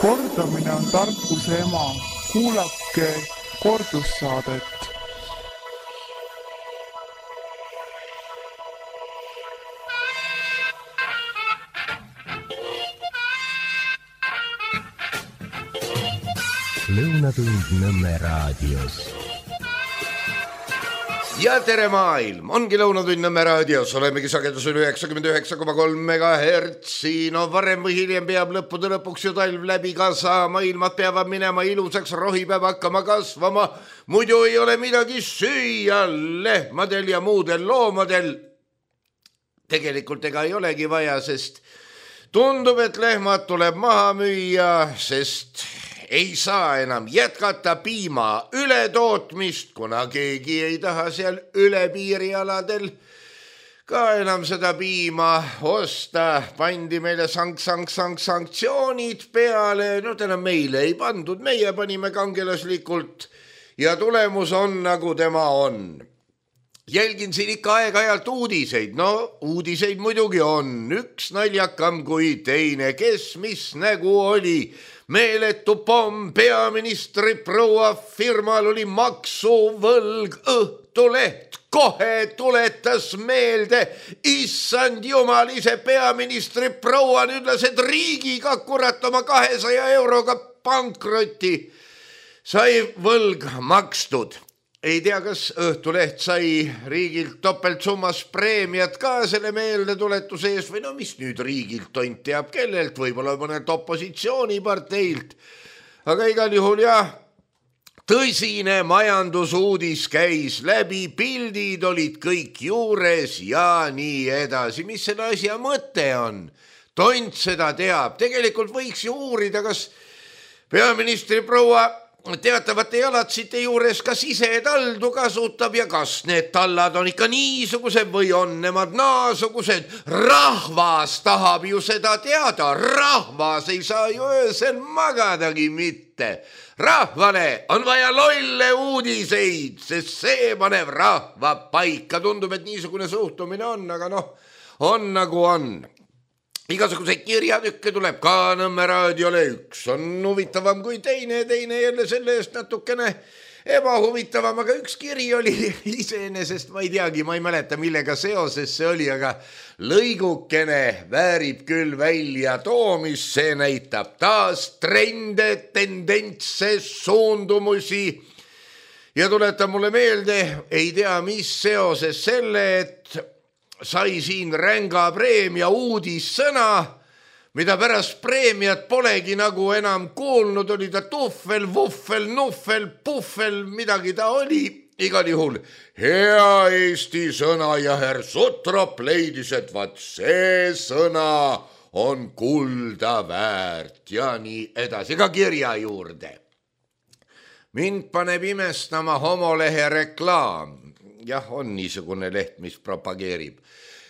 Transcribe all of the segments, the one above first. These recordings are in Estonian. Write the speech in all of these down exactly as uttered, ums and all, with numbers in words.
Kordamine on tarkuse ema. Kuulake kordussaadet. Lõunatund Nõmme raadios. Ja tere maailm, ongi Lõunatund Nõmme raadios, olemegi sagedusel üheksakümmend üheksa koma kolm megahertsi. No varem või hiljem peab lõppude lõpuks ju talv läbi ka saama, ilmad peavad minema ilusaks, rohi peab hakkama kasvama, muidu ei ole midagi süüa lehmadel ja muudel loomadel. Tegelikult ega ei olegi vaja, sest tundub, et lehmad tuleb maha müüa, sest ei saa enam jätkata piima ületootmist, kuna keegi ei taha seal üle piirialadel ka enam seda piima osta. Pandi meile sank, sank, sank, sanktsioonid peale, no täna meile ei pandud, meie panime kangelaslikult ja tulemus on nagu tema on. Jälgin siin ikka aeg-ajalt uudiseid, no uudiseid muidugi on, üks naljakam kui teine, kes mis nägu oli. Meeletu pomm, peaministri proua firmal oli maksuvõlg, Õhtuleht kohe tuletas meelde, issand jumal, ise peaministri proua ütles, et riigiga kurat oma kahesaja euroga pankroti sai võlg makstud. Ei tea, kas Õhtuleht sai riigilt topeltsummas preemiat ka selle meeldetuletuse ees või no mis nüüd riigilt tont teab kellelt, võib-olla mõnelt opositsiooniparteilt. Aga igal juhul jah, tõsine majandusuudis käis läbi, pildid olid kõik juures ja nii edasi. Mis selle asja mõte on? Tont seda teab. Tegelikult võiks ju uurida, kas peaministri proua teatavate jalatsite juures kas ise taldu kasutab ja kas need tallad on ikka niisugused või on nemad naasugused. Rahvas tahab ju seda teada, rahvas ei saa ju öösel magadagi mitte. Rahvale on vaja lolle uudiseid, sest see paneb rahva paika. Tundub, et niisugune suhtumine on, aga noh, on nagu on. Igasuguseid kirjatükke tuleb ka Nõmme raadiole, üks on huvitavam kui teine, teine jälle selle eest natukene ebahuvitavam, aga üks kiri oli iseenesest, ma ei teagi, ma ei mäleta, millega seoses see oli, aga lõigukene väärib küll välja toomist, see näitab taas trende, tendentse, suundumusi ja tuletab mulle meelde, ei tea, mis seoses selle, et sai siin ränga preemia uudissõna, mida pärast preemiat polegi nagu enam kuulnud, oli ta tuffel, vuffel, nuffel, puffel, midagi ta oli. Igal juhul hea Eesti sõna ja herr Sutrop leidis, et vaat see sõna on kulda väärt ja nii edasi, ka kirja juurde. Mind paneb imestama homolehe reklaam. Jah, on niisugune leht, mis propageerib,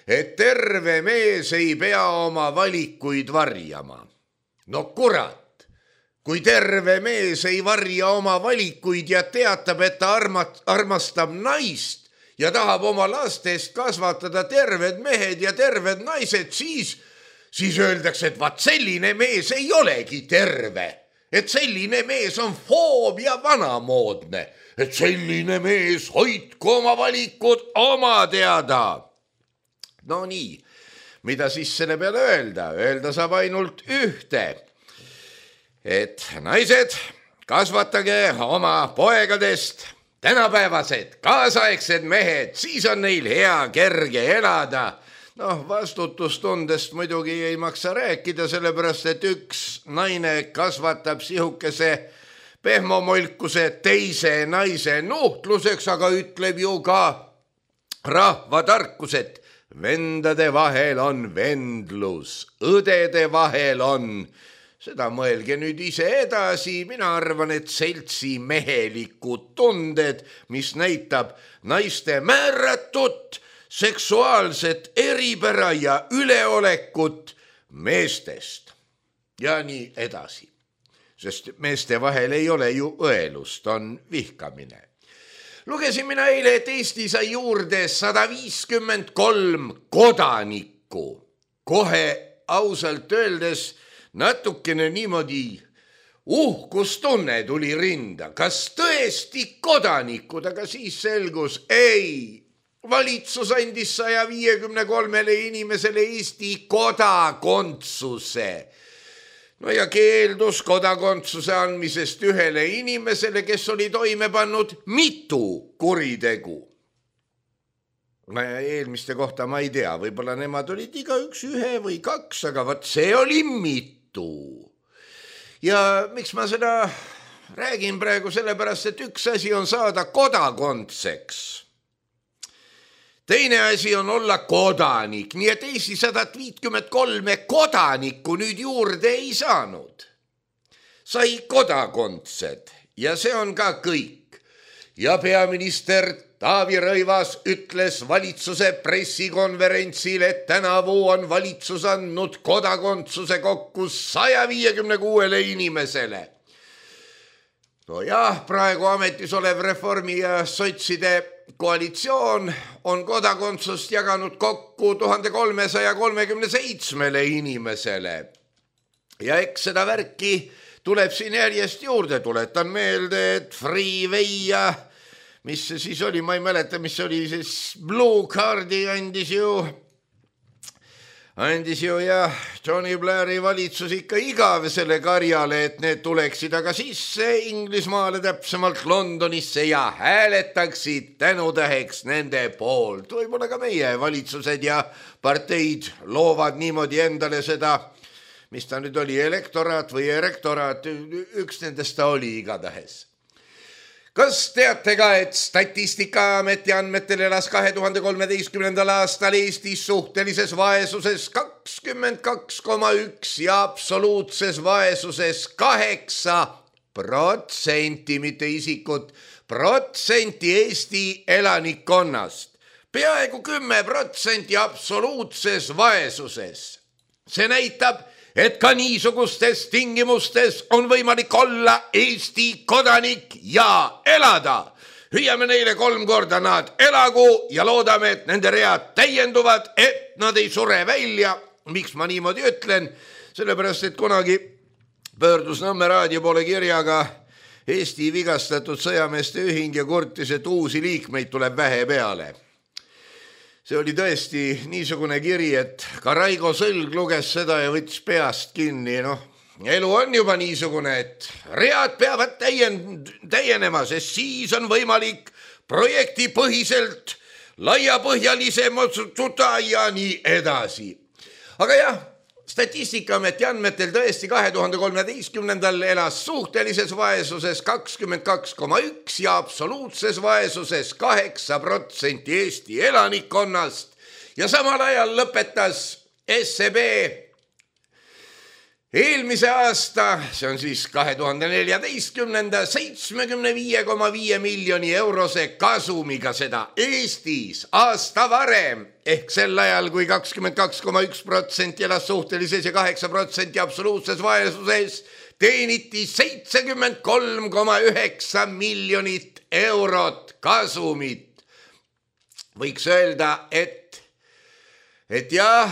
et terve mees ei pea oma valikuid varjama. No kurat, kui terve mees ei varja oma valikuid ja teatab, et ta armat, armastab naist ja tahab oma lastest kasvatada terved mehed ja terved naised, siis, siis öeldakse, et vaat selline mees ei olegi terve, et selline mees on foob ja vanamoodne. Et selline mees hoidku oma valikud oma teada. No nii, mida siis selle peale öelda? Öelda saab ainult ühte. Et naised, kasvatage oma poegadest tänapäevased, kaasaegsed mehed, siis on neil hea kerge elada. Noh, vastutustundest muidugi ei maksa rääkida, sellepärast, et üks naine kasvatab sihukese pehmomolkuse teise naise nuhtluseks, aga ütleb ju ka rahvatarkus, et vendade vahel on vendlus, õdede vahel on. Seda mõelge nüüd ise edasi, mina arvan, et seltsi mehelikud tunded, mis näitab naiste määratut, seksuaalset eripära ja üleolekut meestest ja nii edasi. Sest meeste vahel ei ole ju õelust, on vihkamine. Lugesin mina eile, et Eesti sai juurde sada viiskümmend kolm kodanikku. Kohe ausalt öeldes natukene niimoodi Uhkustunne tuli rinda, kas tõesti kodanikud, aga siis selgus, ei, valitsus andis saja viiekümne kolmele inimesele Eesti kodakondsuse. No ja keeldus kodakondsuse andmisest ühele inimesele, kes oli toime pannud mitu kuritegu. Ma eelmiste kohta ma ei tea, võib-olla nemad olid iga üks ühe või kaks, aga vaat see oli mitu. Ja miks ma seda räägin praegu sellepärast, et üks asi on saada kodakondseks. Teine asi on olla kodanik, nii et Eesti sada viiskümmend kolm kodanikku nüüd juurde ei saanud. Sai kodakondsed ja see on ka kõik. Ja peaminister Taavi Rõivas ütles valitsuse pressikonverentsil, et tänavu on valitsus andnud kodakondsuse kokku saja viiekümne kuuele inimesele. No jah, praegu ametis olev Reformi ja sotside koalitsioon on kodakondsust jaganud kokku tuhat kolmesada kolmekümne seitsmele inimesele. Ja eks seda värki tuleb siin järjest juurde, tuletan meelde, et Freeway ja mis see siis oli, ma ei mäleta, mis oli, siis Blue Cardi andis ju, andis ju ja Tony Blairi valitsus ikka igavesele karjale, et need tuleksid aga sisse Inglismaale, täpsemalt Londonisse ja hääletaksid tänutäheks nende poolt. Võib-olla ka meie valitsused ja parteid loovad niimoodi endale seda, mis ta nüüd oli, elektoraat või erektoraat, üks nendest ta oli igatahes. Kas teate ka, et Statistikaameti andmetel elas kahe tuhande kolmeteistkümnendal aastal Eestis suhtelises vaesuses kakskümmend kaks koma üks ja absoluutses vaesuses kaheksa protsenti, mitte isikut, protsenti Eesti elanikkonnast. Peaaegu kümme protsenti absoluutses vaesuses. See näitab, et ka niisugustes tingimustes on võimalik olla Eesti kodanik ja elada. Hüüame neile kolm korda nad elagu ja loodame, et nende read täienduvad, et nad ei sure välja. Miks ma niimoodi ütlen? Sellepärast, et kunagi pöördus Nõmme raadio poole kirjaga Eesti vigastatud sõjameeste ühing ja kurtis, et uusi liikmeid tuleb vähe peale. See oli tõesti niisugune kiri, et ka Raigo Sõlg luges seda ja võttis peast kinni. No, elu on juba niisugune, et read peavad täien, täienema, sest siis on võimalik projektipõhiselt laiapõhjalisem otsustada ja nii edasi. Aga jah, Statistikaameti andmetel tõesti kahe tuhande kolmeteistkümnendal elas suhtelises vaesuses kakskümmend kaks koma üks ja absoluutses vaesuses kaheksa protsenti Eesti elanikkonnast ja samal ajal lõpetas S E B eelmise aasta, see on siis kahe tuhande neljateistkümnenda seitsmekümne viie koma viie miljoni eurose kasumiga seda Eestis aasta varem ehk sel ajal, kui kakskümmend kaks koma üks protsenti elas suhtelises ja kaheksa protsenti absoluutses vaesuses, teeniti seitsekümmend kolm koma üheksa miljonit eurot kasumit. Võiks öelda, et, et jah,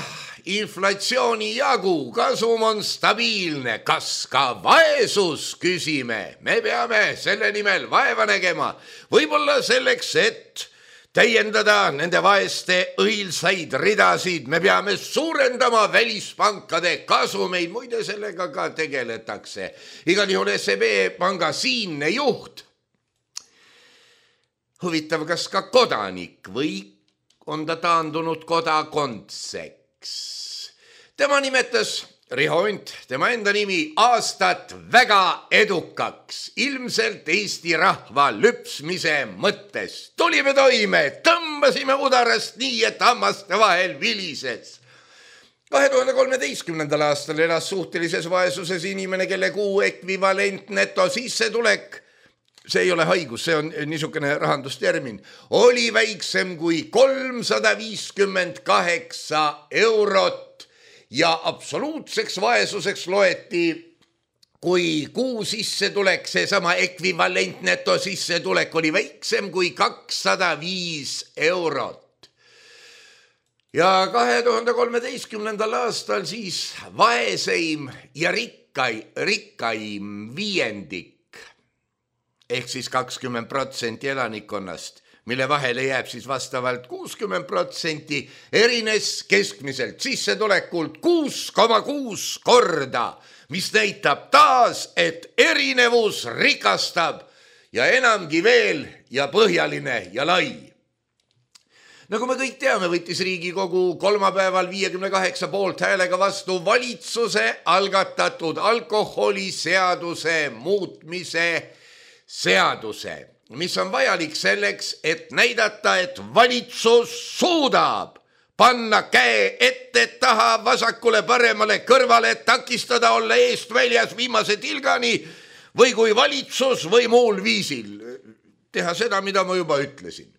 inflatsiooni jagu, kasum on stabiilne, kas ka vaesus, küsime. Me peame selle nimel vaeva nägema, võib-olla selleks, et täiendada nende vaeste õilsaid ridasid. Me peame suurendama välispankade kasumeid, muide sellega ka tegeletakse. Igal juhul S E B panga siinne juht. Huvitav, kas ka kodanik või on ta taandunud kodakondseks? Tema nimetas Riho Unt, tema enda nimi, aastat väga edukaks, ilmselt Eesti rahva lüpsmise mõttes. Tulime toime, tõmbasime udarast nii, et hammaste vahel vilises. kahe tuhande kolmeteistkümnendal aastal elas suhtelises vaesuses inimene, kelle kuu ekvivalent neto sissetulek, see ei ole haigus, see on niisugune rahandustermin, oli väiksem kui kolmsada viiskümmend kaheksa eurot ja absoluutseks vaesuseks loeti, kui kuu sissetulek, see sama ekvivalent neto sissetulek oli väiksem kui kakssada viis eurot. Ja kahe tuhande kolmeteistkümnendal aastal siis vaeseim ja rikk rikkai, rikkaim viiendik ehk siis kakskümmend protsenti elanikkonnast, mille vahele jääb siis vastavalt kuuskümmend protsenti, erines keskmiselt sissetulekult kuus koma kuus korda, mis näitab taas, et erinevus rikastab ja enamgi veel ja põhjaline ja lai. Nagu me kõik teame, võttis Riigikogu kolmapäeval viiekümne kaheksa poolt häälega vastu valitsuse algatatud alkoholiseaduse muutmise seaduse, mis on vajalik selleks, et näidata, et valitsus suudab panna käe ette taha vasakule paremale kõrvale, takistada olla eest väljas viimase tilgani või kui valitsus või muul viisil teha seda, mida ma juba ütlesin.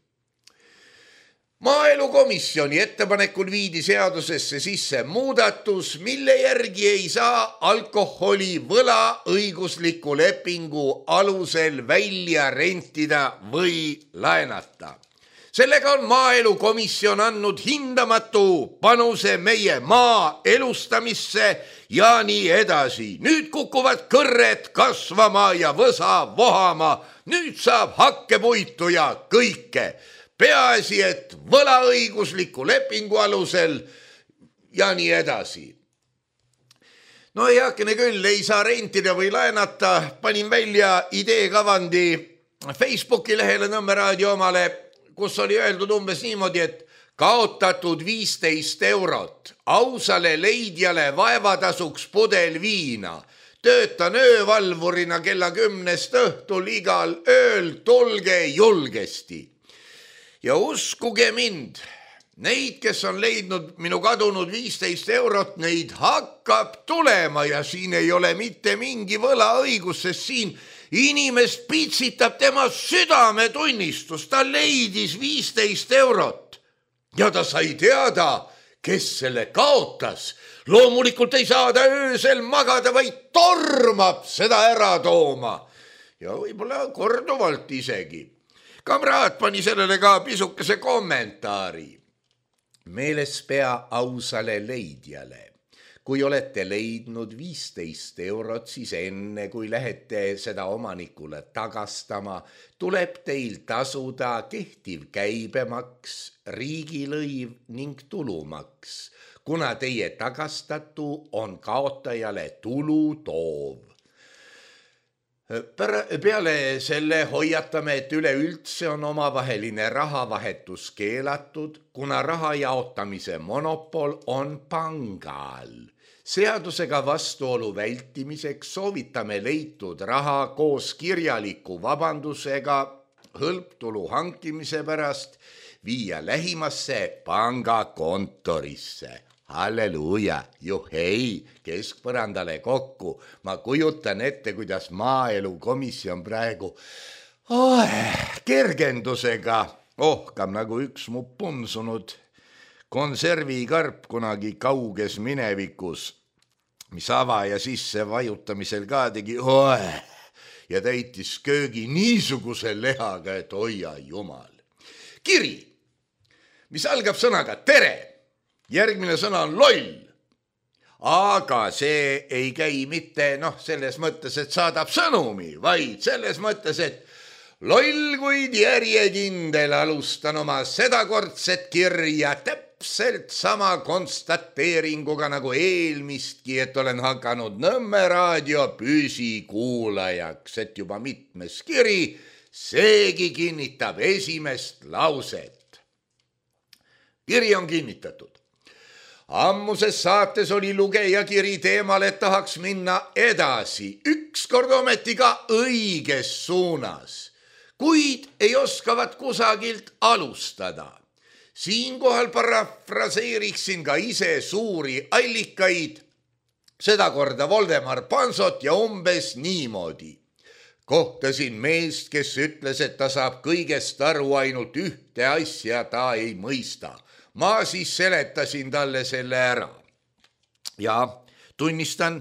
Maaelukomisjoni ettepanekul viidi seadusesse sisse muudatus, mille järgi ei saa alkoholi võlaõigusliku lepingu alusel välja rentida või laenata. Sellega on Maaelukomisjon andnud hindamatu panuse meie maa elustamisse ja nii edasi. Nüüd kukuvad kõrred kasvama ja võsa vohama. Nüüd saab hakkepuitu ja kõike. Peaasi, et võlaõigusliku lepingu alusel ja nii edasi. No heakene küll, ei saa rentida või laenata. Panin välja ideekavandi Facebooki lehele Nõmme Raadio omale, kus oli öeldud umbes niimoodi, et kaotatud viisteist eurot ausale leidjale vaevatasuks pudel viina. Töötan öövalvurina kella kümnest õhtul igal ööl, tulge julgesti. Ja uskuge mind, neid, kes on leidnud minu kadunud viisteist eurot, neid hakkab tulema ja siin ei ole mitte mingi võlaõigus, sest siin inimest pitsitab tema südametunnistus. Ta leidis viisteist eurot ja ta sai teada, kes selle kaotas. Loomulikult ei saa ta öösel magada, vaid tormab seda ära tooma ja võib-olla korduvalt isegi. Kamraad pani sellele ka pisukese kommentaari. Meeles pea ausale leidjale. Kui olete leidnud viisteist eurot, siis enne kui lähete seda omanikule tagastama, tuleb teil tasuda kehtiv käibemaks, riigilõiv ning tulumaks, kuna teie tagastatu on kaotajale tulu toov. Peale selle hoiatame, et üleüldse on omavaheline rahavahetus keelatud, kuna raha jaotamise monopol on pangal. Seadusega vastuolu vältimiseks soovitame leitud raha koos kirjaliku vabandusega hõlptulu hankimise pärast viia lähimasse pangakontorisse. Halleluuja, juhei, keskpõrandale kokku. Ma kujutan ette, kuidas Maaelukomisjon praegu oh, kergendusega ohkam nagu üks mu punsunud konservikarp kunagi kauges minevikus, mis avaja sisse vajutamisel ka tegi oh, ja täitis köögi niisuguse lehaga, et hoia jumal. Kiri, mis algab sõnaga tere. Järgmine sõna on loll, aga see ei käi mitte noh, selles mõttes, et saadab sõnumi, vaid selles mõttes, et loll kuid järjekindel alustan oma sedakordset kirja täpselt sama konstateeringuga nagu eelmistki, et olen hakanud Nõmme Raadio püsikuulajaks, et juba mitmes kiri, seegi kinnitab esimest lauset. Kiri on kinnitatud. Ammuses saates oli lugeja kiri teemal, et tahaks minna edasi, ükskord ometi ka õiges suunas, kuid ei oskavat kusagilt alustada. Siinkohal parafraseeriksin ka ise suuri allikaid, seda korda Voldemar Pansot ja umbes niimoodi. Kohtasin meest, kes ütles, et ta saab kõigest aru, ainult ühte asja ta ei mõista. Ma siis seletasin talle selle ära. Ja tunnistan,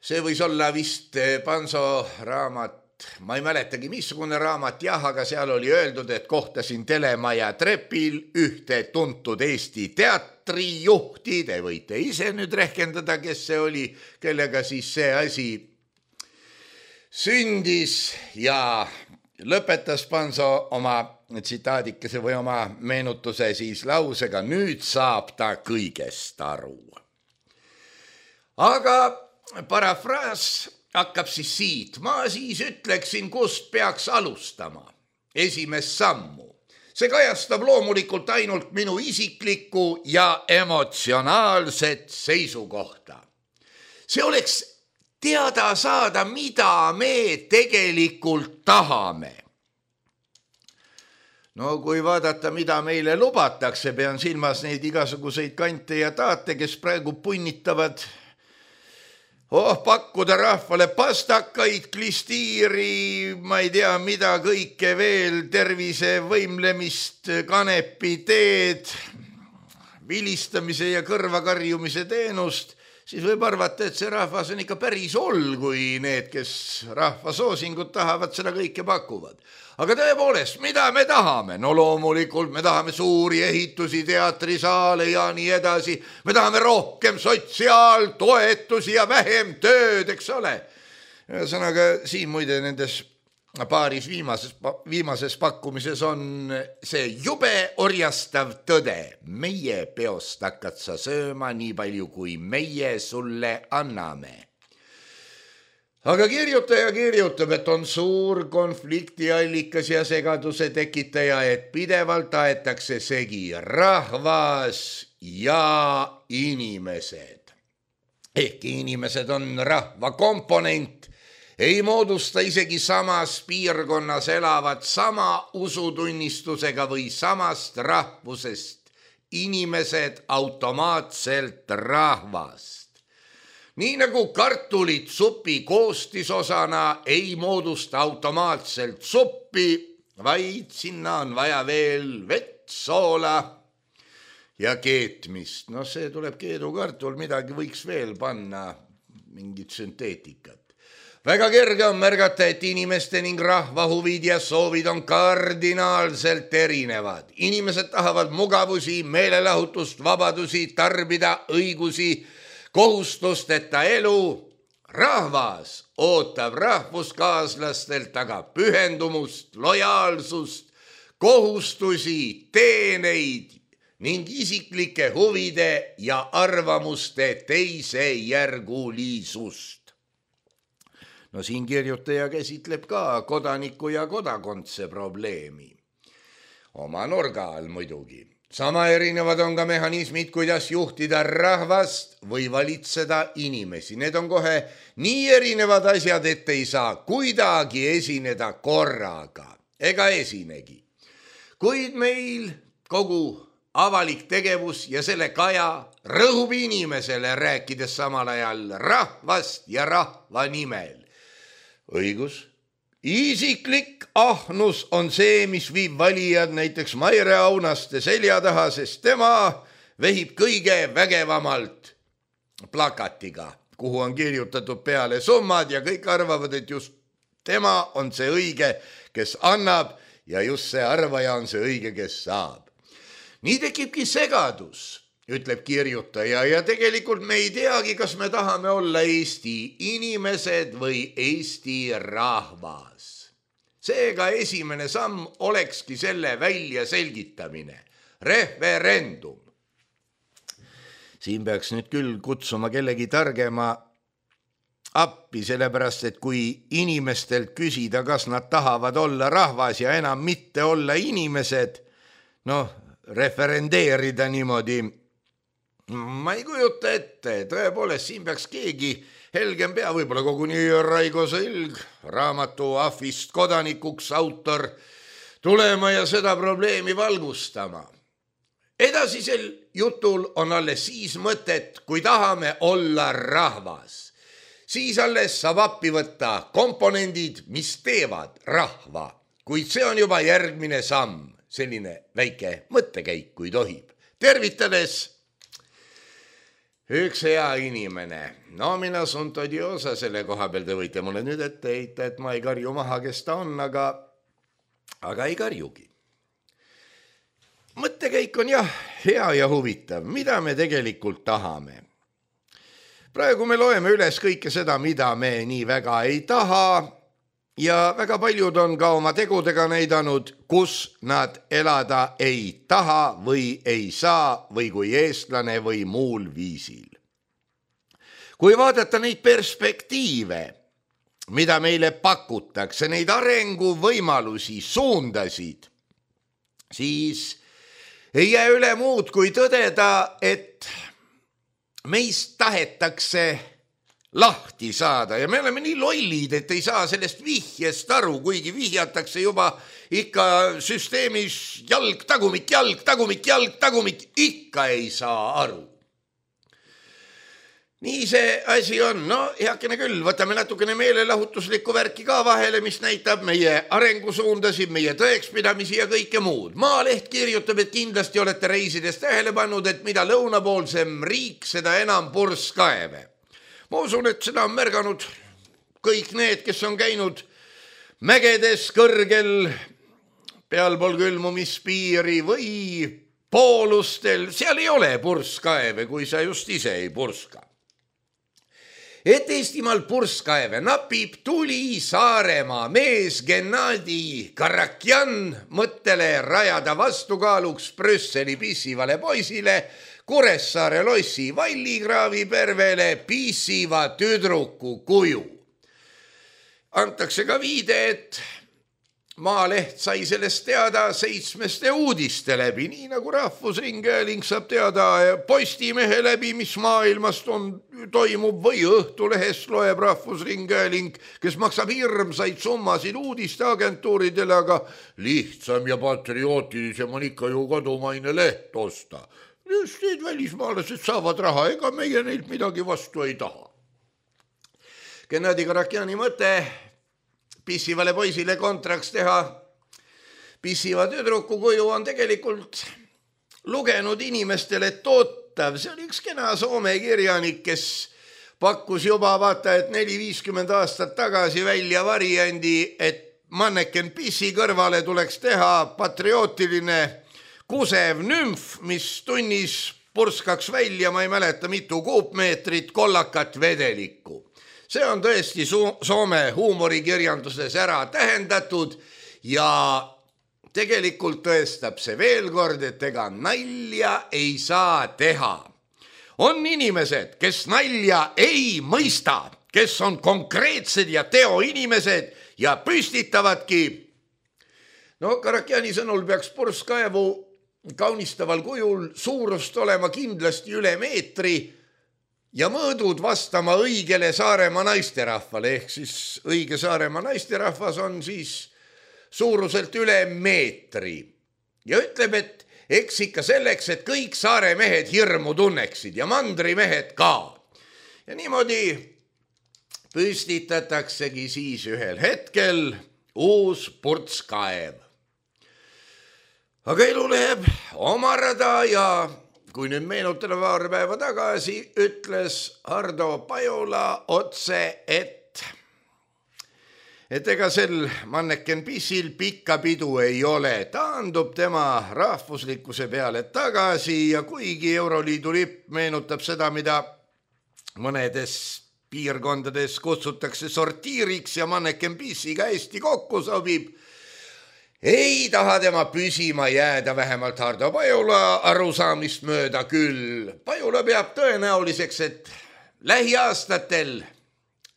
see võis olla vist Panso raamat ma ei mäletagi, missugune raamat, jah, aga seal oli öeldud, et kohtasin telemaja trepil ühte tuntud Eesti teatrijuhti, te võite ise nüüd rehkendada, kes see oli, kellega siis see asi sündis ja lõpetas Panso oma tsitaadikese või oma meenutuse siis lausega, nüüd saab ta kõigest aru. Aga parafraas hakkab siis siit. Ma siis ütleksin, kust peaks alustama. Esimest sammu. See kajastab loomulikult ainult minu isiklikku ja emotsionaalset seisukohta. See oleks teada saada, mida me tegelikult tahame. No kui vaadata, mida meile lubatakse, pean silmas neid igasuguseid kante ja taate, kes praegu punnitavad Oh, pakkuda rahvale pastakaid, klistiiri, ma ei tea, mida kõike veel, tervise võimlemist, kanepi teed, vilistamise ja kõrvakarjumise teenust, siis võib arvata, et see rahvas on ikka päris oll, kui need, kes rahva soosingut tahavad, seda kõike pakuvad. Aga tõepoolest, mida me tahame? No loomulikult me tahame suuri ehitusi, teatrisaale ja nii edasi. Me tahame rohkem sotsiaaltoetusi ja vähem tööd, eks ole. Ühesõnaga, siin muide nendes paaris viimases, viimases pakkumises on see jube orjastav tõde. Meie peost hakkad sa sööma nii palju, kui meie sulle anname. Aga kirjutaja kirjutab, et on suur konfliktiallikas ja segaduse tekitaja, et pidevalt aetakse segi rahvas ja inimesed. Ehkki inimesed on rahva komponent, ei moodusta isegi samas piirkonnas elavad sama usutunnistusega või samast rahvusest inimesed automaatselt rahvast. Nii nagu kartulit supi koostisosana ei moodusta automaatselt suppi, vaid sinna on vaja veel vett, soola ja keetmist. No see tuleb keedukartul, midagi võiks veel panna, mingit sünteetikat. Väga kerge on märgata, et inimeste ning rahva huvid ja soovid on kardinaalselt erinevad. Inimesed tahavad mugavusi, meelelahutust, vabadusi, tarbida õigusi, kohustusteta elu. Rahvas ootab rahvuskaaslastelt aga pühendumust, lojaalsust, kohustusi, teeneid ning isiklike huvide ja arvamuste teisejärgulisust. No siin kirjutaja käsitleb ka kodaniku ja kodakondse probleemi. Oma nurga all muidugi. Sama erinevad on ka mehhanismid, kuidas juhtida rahvast või valitseda inimesi. Need on kohe nii erinevad asjad, et ei saa kuidagi esineda korraga. Ega esinegi. Kuid meil kogu avalik tegevus ja selle kaja rõhub inimesele, rääkides samal ajal rahvast ja rahva nimel. Õigus. Isiklik ahnus on see, mis viib valijad näiteks Maire Aunaste selja taha, sest tema vehib kõige vägevamalt plakatiga, kuhu on kirjutatud peale summad ja kõik arvavad, et just tema on see õige, kes annab ja just see arvaja on see õige, kes saab. Nii tekibki segadus, ütleb kirjutaja, ja tegelikult me ei teagi, kas me tahame olla Eesti inimesed või Eesti rahvas. Seega esimene samm olekski selle välja selgitamine. Referendum. Siin peaks nüüd küll kutsuma kellegi targema appi, sellepärast, et kui inimestelt küsida, kas nad tahavad olla rahvas ja enam mitte olla inimesed, noh, referendeerida niimoodi, ma ei kujuta ette, tõepoolest siin peaks keegi helgem pea, võib-olla koguni Raigo Sõlg, raamatu Ahvist kodanikuks autor, tulema ja seda probleemi valgustama. Edasisel jutul on alles siis mõtet, kui tahame olla rahvas. Siis alles saab appi võtta komponendid, mis teevad rahva, kuid see on juba järgmine samm, selline väike mõttekäik, kui tohib. Tervitades üks hea inimene. No mina sunt odiosa selle koha peal, te võite mulle nüüd ette heita, et ma ei karju maha, kes ta on, aga, aga ei karjugi. Mõttekäik on jah, hea ja huvitav, mida me tegelikult tahame. Praegu me loeme üles kõike seda, mida me nii väga ei taha ja väga paljud on ka oma tegudega näidanud, kus nad elada ei taha või ei saa või kui eestlane või muul viisil. Kui vaadata neid perspektiive, mida meile pakutakse, neid arenguvõimalusi, suundasid, siis ei jää üle muud kui tõdeda, et meist tahetakse lahti saada ja me oleme nii lollid, et ei saa sellest vihjest aru, kuigi vihjatakse juba ikka süsteemis jalg, tagumik, jalg, tagumik, jalg, tagumik, ikka ei saa aru. Nii see asi on, no heakene küll, võtame natukene meelelahutuslikku värki ka vahele, mis näitab meie arengusuundasid, meie tõekspidamisi ja kõike muud. Maaleht kirjutab, et kindlasti olete reisides tähele pannud, et mida lõunapoolsem riik, seda enam purskkaeve. Ma usun, et seda on märganud kõik need, kes on käinud mägedes kõrgel pealpool külmumispiiri või poolustel. Seal ei ole purskkaeve, kui sa just ise ei purska. Et Eestimaal purskkaeve napib, tuli Saaremaa mees Gennadi Karakjan mõttele rajada vastukaaluks Brüsseli pissivale poisile Kuressaare lossi Vallikraavi pervele pissiva tüdruku kuju. Antakse ka viide, et Maaleht sai sellest teada seitsmeste uudiste läbi, nii nagu Rahvusringhääling saab teada Postimehe läbi, mis maailmast on, toimub, või Õhtulehest loeb Rahvusringhääling, kes maksab hirmsaid summasid uudisteagentuuridele, aga lihtsam ja patriootilisem on ikka ju kodumaine leht osta. Just need välismaalased saavad raha, ega meie neilt midagi vastu ei taha. Gennadi Karakjani mõte pissivale poisile kontraks teha pissiva tüdruku kuju on tegelikult lugenud inimestele tootav. See oli üks kena Soome kirjanik, kes pakkus juba vaata, et neli viiskümmend aastat tagasi välja variandi, et manneken pissi kõrvale tuleks teha patriootiline kusev nümf, mis tunnis purskaks välja, ma ei mäleta, mitu kuupmeetrit kollakat vedelikku. See on tõesti Soome huumorikirjanduses ära tähendatud ja tegelikult tõestab see veel kord, et ega nalja ei saa teha. On inimesed, kes nalja ei mõista, kes on konkreetsed ja teoinimesed ja püstitavadki. No Karakjani sõnul peaks purskkaevu kaunistaval kujul suurust olema kindlasti üle meetri ja mõõdud vastama õigele Saaremaa naisterahvale, ehk siis õige Saaremaa naisterahvas on siis suuruselt üle meetri. Ja ütleb, et eks ikka selleks, et kõik saare mehed hirmu tunneksid ja mandri mehed ka. Ja niimoodi püstitataksegi siis ühel hetkel uus purskkaev. Aga elu läheb oma rada ja kui nüüd meenutada paar päeva tagasi, ütles Hardo Pajula otse, et, et ega sel manneken pissil pikka pidu ei ole. Taandub tema rahvuslikkuse peale tagasi ja kuigi Euroliidu lipp meenutab seda, mida mõnedes piirkondades kutsutakse sortiiriks ja manneken pissiga hästi kokku sobib, ei taha tema püsima jääda, vähemalt Hardo Pajula arusaamist mööda küll. Pajula peab tõenäoliseks, et lähiaastatel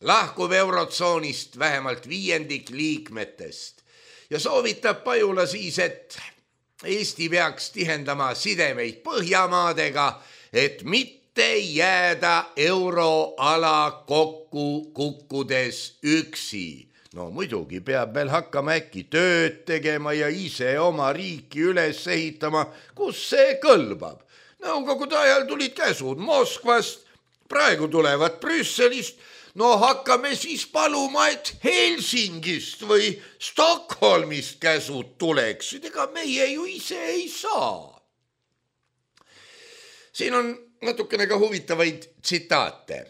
lahkub eurotsoonist vähemalt viiendik liikmetest ja soovitab Pajula siis, et Eesti peaks tihendama sidemeid Põhjamaadega, et mitte jääda euroala kokku kukkudes üksi. No muidugi peab veel hakkama äkki tööd tegema ja ise oma riiki üles ehitama, kus see kõlbab. Nõukogude ajal tulid käsud Moskvast, praegu tulevad Brüsselist. No hakkame siis paluma, et Helsingist või Stockholmist käsud tuleksid, ega meie ju ise ei saa. Siin on natukene ka huvitavaid tsitaate.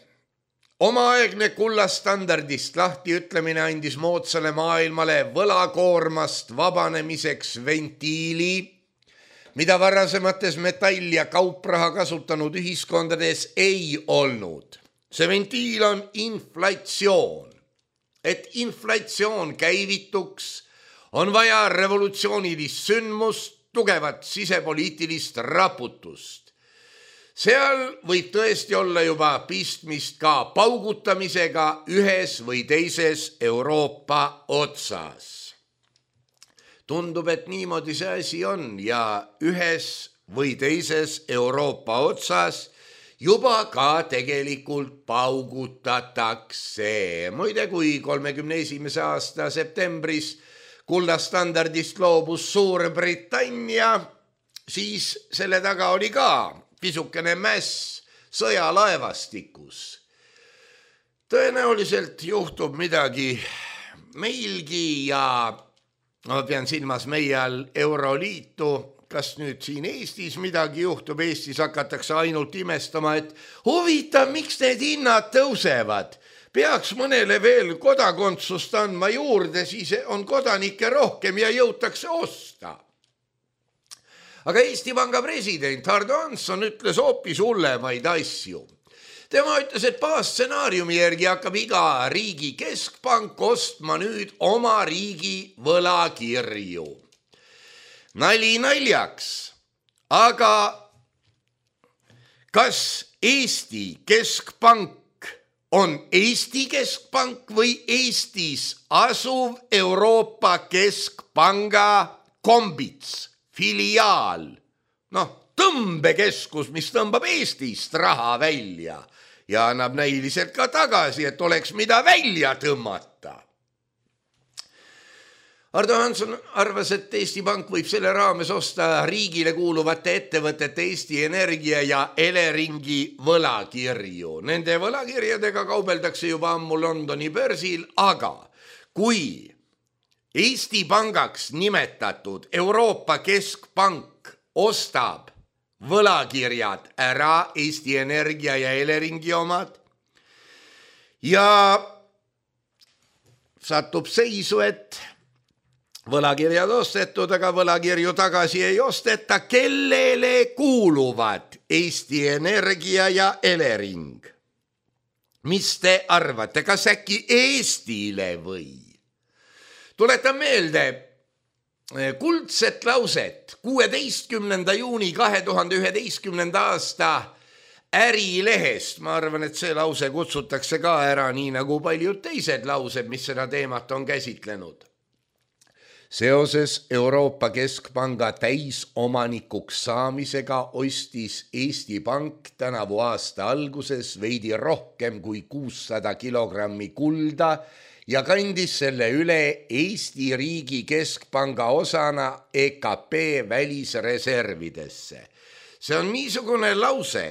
Omaaegne kullastandardist lahti ütlemine andis moodsale maailmale võlakoormast vabanemiseks ventiili, mida varasemates metall- ja kaupraha kasutanud ühiskondades ei olnud. See ventiil on inflatsioon. Et inflatsioon käivituks, on vaja revolutsioonilist sündmust, tugevat sisepoliitilist raputust. Seal võib tõesti olla juba pistmist ka paugutamisega ühes või teises Euroopa otsas. Tundub, et niimoodi see asi on ja ühes või teises Euroopa otsas juba ka tegelikult paugutatakse. Muide, kui kolmekümne esimese aasta septembris kullastandardist loobus Suurbritannia, siis selle taga oli ka pisukene mäss sõjalaevastikus. Tõenäoliselt juhtub midagi meilgi ja ma pean silmas meie all Euroliitu. Kas nüüd siin Eestis midagi juhtub, Eestis hakatakse ainult imestama, et huvitav, miks need hinnad tõusevad. Peaks mõnele veel kodakondsust andma juurde, siis on kodanikke rohkem ja jõutakse osta. Aga Eesti Panga president Hardo Hansson ütles hoopis hullemaid asju. Tema ütles, et baasstsenaariumi järgi hakkab iga riigi keskpank ostma nüüd oma riigi võlakirju. Nali naljaks, aga kas Eesti keskpank on Eesti keskpank või Eestis asuv Euroopa Keskpanga kombits, filiaal, noh, tõmbekeskus, mis tõmbab Eestist raha välja ja annab näiliselt ka tagasi, et oleks mida välja tõmmata. Hardo Hansson arvas, et Eesti Pank võib selle raames osta riigile kuuluvate ettevõtete Eesti Energia ja Eleringi võlakirju. Nende võlakirjadega kaubeldakse juba ammu Londoni börsil, aga kui Eesti Pangaks nimetatud Euroopa Keskpank ostab võlakirjad ära, Eesti Energia ja Eleringi omad, ja satub seisu, et võlakirjad ostetud, aga võlakirju tagasi ei osteta, kellele kuuluvad Eesti Energia ja Elering. Mis te arvate, kas äkki Eestile või? Tuletan meelde kuldset lauset kuueteistkümnenda juuni kahe tuhande üheteistkümnenda aasta Ärilehest. Ma arvan, et see lause kutsutakse ka ära, nii nagu paljud teised laused, mis seda teemat on käsitlenud. Seoses Euroopa Keskpanga täisomanikuks saamisega ostis Eesti Pank tänavu aasta alguses veidi rohkem kui kuussada kilogrammi kulda ja kandis selle üle Eesti riigi keskpanga osana E K P välisreservidesse. See on niisugune lause,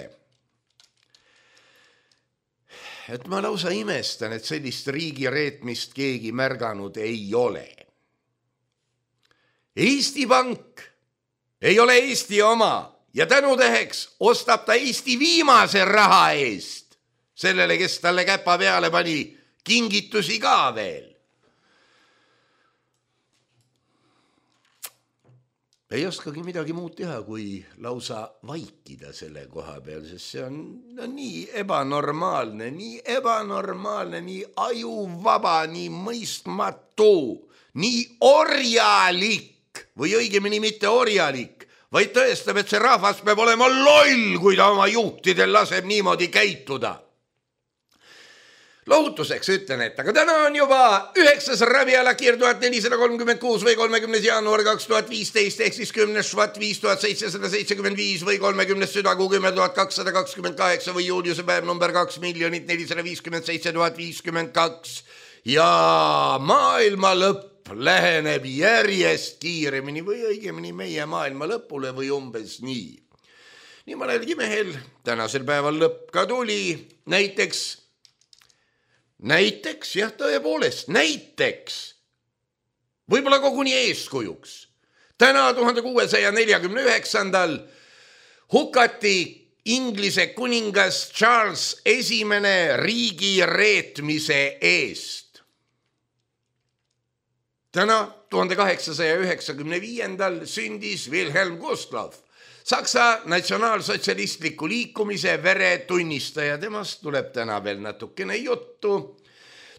et ma lausa imestan, et sellist riigireetmist keegi märganud ei ole. Eesti Pank ei ole Eesti oma ja tänuteheks ostab ta Eesti viimase raha eest sellele, kes talle käpa peale pani, kingitusi ka veel. Ei oskagi midagi muud teha, kui lausa vaikida selle koha peal, sest see on no, nii ebanormaalne, nii ebanormaalne, nii ajuvaba, nii mõistmatu, nii orjalik. Või õigemini mitte orjalik, vaid tõestab, et see rahvas peab olema loll, kui ta oma juhtidel laseb niimoodi käituda. Lohutuseks ütlen, et aga täna on juba üheksas Rabialakir tuhat nelisada kolmkümmend kuus või kolmekümnes jaanuar kaks tuhat viisteist ehk siis kümnes švat viis tuhat seitsesada seitsekümmend viis või kolmekümnes südagu kümme tuhat kakssada kakskümmend kaheksa või juuliuse päev number kaks miljonit nelisada viiskümmend seitse tuhat viiskümmend kaks ja maailma lõpp läheneb järjest kiiremini või õigemini meie maailma lõpule või umbes nii. Nii mõnelgi mehel tänasel päeval lõpp ka tuli, näiteks, näiteks, jah tõepoolest, näiteks, võib-olla koguni eeskujuks. Täna tuhande kuuesaja neljakümne üheksandal hukati Inglise kuningas Charles esimene riigi reetmise eest. Täna tuhande kaheksasaja üheksakümne viiendal sündis Wilhelm Gustloff, Saksa natsionaalsotsialistliku liikumise veretunnistaja. Temast tuleb täna veel natukene juttu.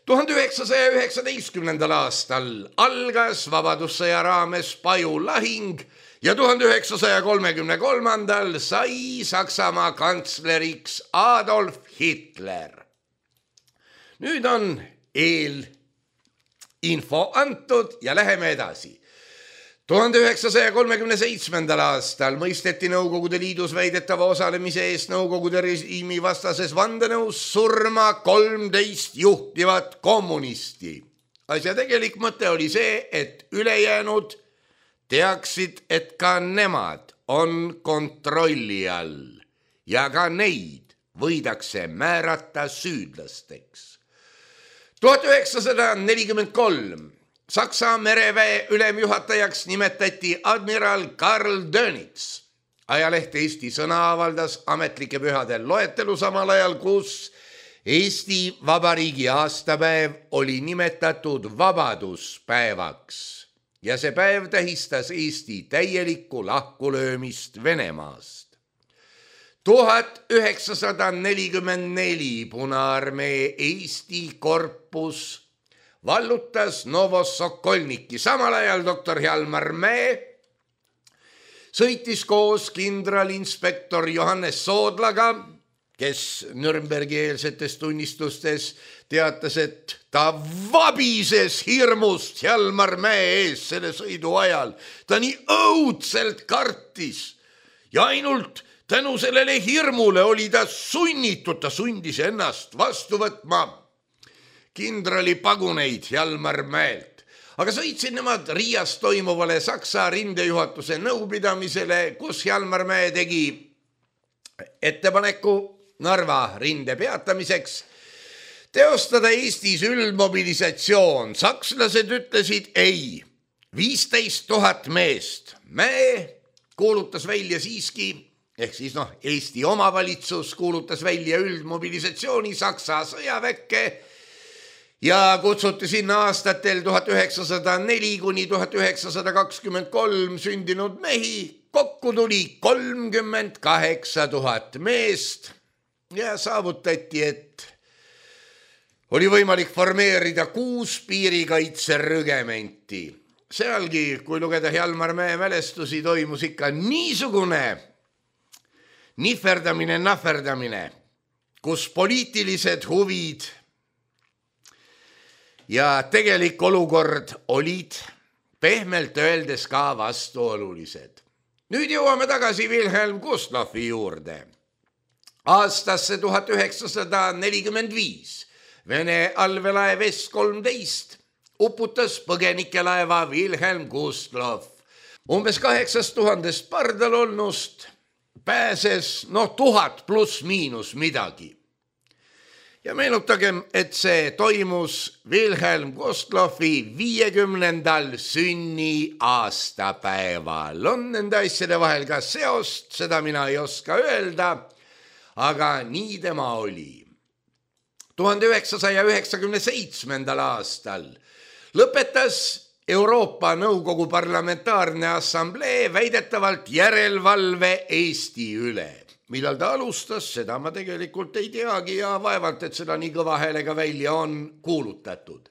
tuhande üheksasaja üheksateistkümnendal aastal algas vabadussõja raames Paju lahing ja tuhande üheksasaja kolmekümne kolmandal sai Saksamaa kantsleriks Adolf Hitler. Nüüd on eelinfo antud ja läheme edasi. tuhande üheksasaja kolmekümne seitsmendal aastal mõisteti Nõukogude Liidus väidetava osalemise eest Nõukogude režiimi vastases vandenõus surma kolmteist juhtivat kommunisti. Asja tegelik mõte oli see, et ülejäänud teaksid, et ka nemad on kontrolli all ja ka neid võidakse määrata süüdlasteks. tuhat üheksasada nelikümmend kolm Saksa mereväe ülemjuhatajaks nimetati admiral Karl Dönitz. Ajaleht Eesti Sõna avaldas ametlike pühade loetelu samal ajal, kus Eesti Vabariigi aastapäev oli nimetatud vabaduspäevaks ja see päev tähistas Eesti täielikku lahkulöömist Venemaast. tuhat üheksasada nelikümmend neli Punaarmee Eesti korpus vallutas Novosokolniki. Samal ajal doktor Hjalmar Mäe sõitis koos kindralinspektor Johannes Soodlaga, kes Nürnbergi eelsetes tunnistustes teatas, et ta vabises hirmust Hjalmar Mäe ees selle sõidu ajal. Ta nii õudselt kartis ja ainult tänu sellele hirmule oli ta sunnitud, ta sundis ennast vastu võtma kindrali paguneid Hjalmar Mäelt. Aga sõitsid nemad Riias toimuvale Saksa rindejuhatuse nõupidamisele, kus Hjalmar Mäe tegi ettepaneku Narva rinde peatamiseks teostada Eestis üldmobilisatsioon. Sakslased ütlesid ei, viisteist tuhat meest. Mäe kuulutas välja siiski, ehk siis noh, Eesti omavalitsus kuulutas välja üldmobilisatsiooni Saksa sõjaväkke ja kutsuti sinna aastatel tuhat üheksasada neli kuni tuhat üheksasada kakskümmend kolm sündinud mehi. Kokku tuli kolmkümmend kaheksa tuhat meest ja saavutati, et oli võimalik formeerida kuus piirikaitserügementi. Sealgi, kui lugeda Hjalmar Mäe mälestusi, toimus ikka niisugune nihverdamine, nahverdamine, kus poliitilised huvid ja tegelik olukord olid pehmelt öeldes ka vastuolulised. Nüüd jõuame tagasi Wilhelm Gustloffi juurde. Aastasse tuhat üheksasada nelikümmend viis Vene allveelaev S kolmteist uputas põgenikelaeva Wilhelm Gustloff. Umbes kaheksast tuhandest pardal olnust pääses no tuhat pluss miinus midagi. Ja meenutagem, et see toimus Wilhelm Gustloffi viiekümnendal sünni aastapäeval. On nende asjade vahel ka seost, seda mina ei oska öelda, aga nii tema oli. tuhande üheksasaja üheksakümne seitsmendal aastal lõpetas Euroopa Nõukogu Parlamentaarne Assamblee väidetavalt järelevalve Eesti üle. Millal ta alustas, seda ma tegelikult ei teagi ja vaevalt, et seda nii kõva häälega välja on kuulutatud.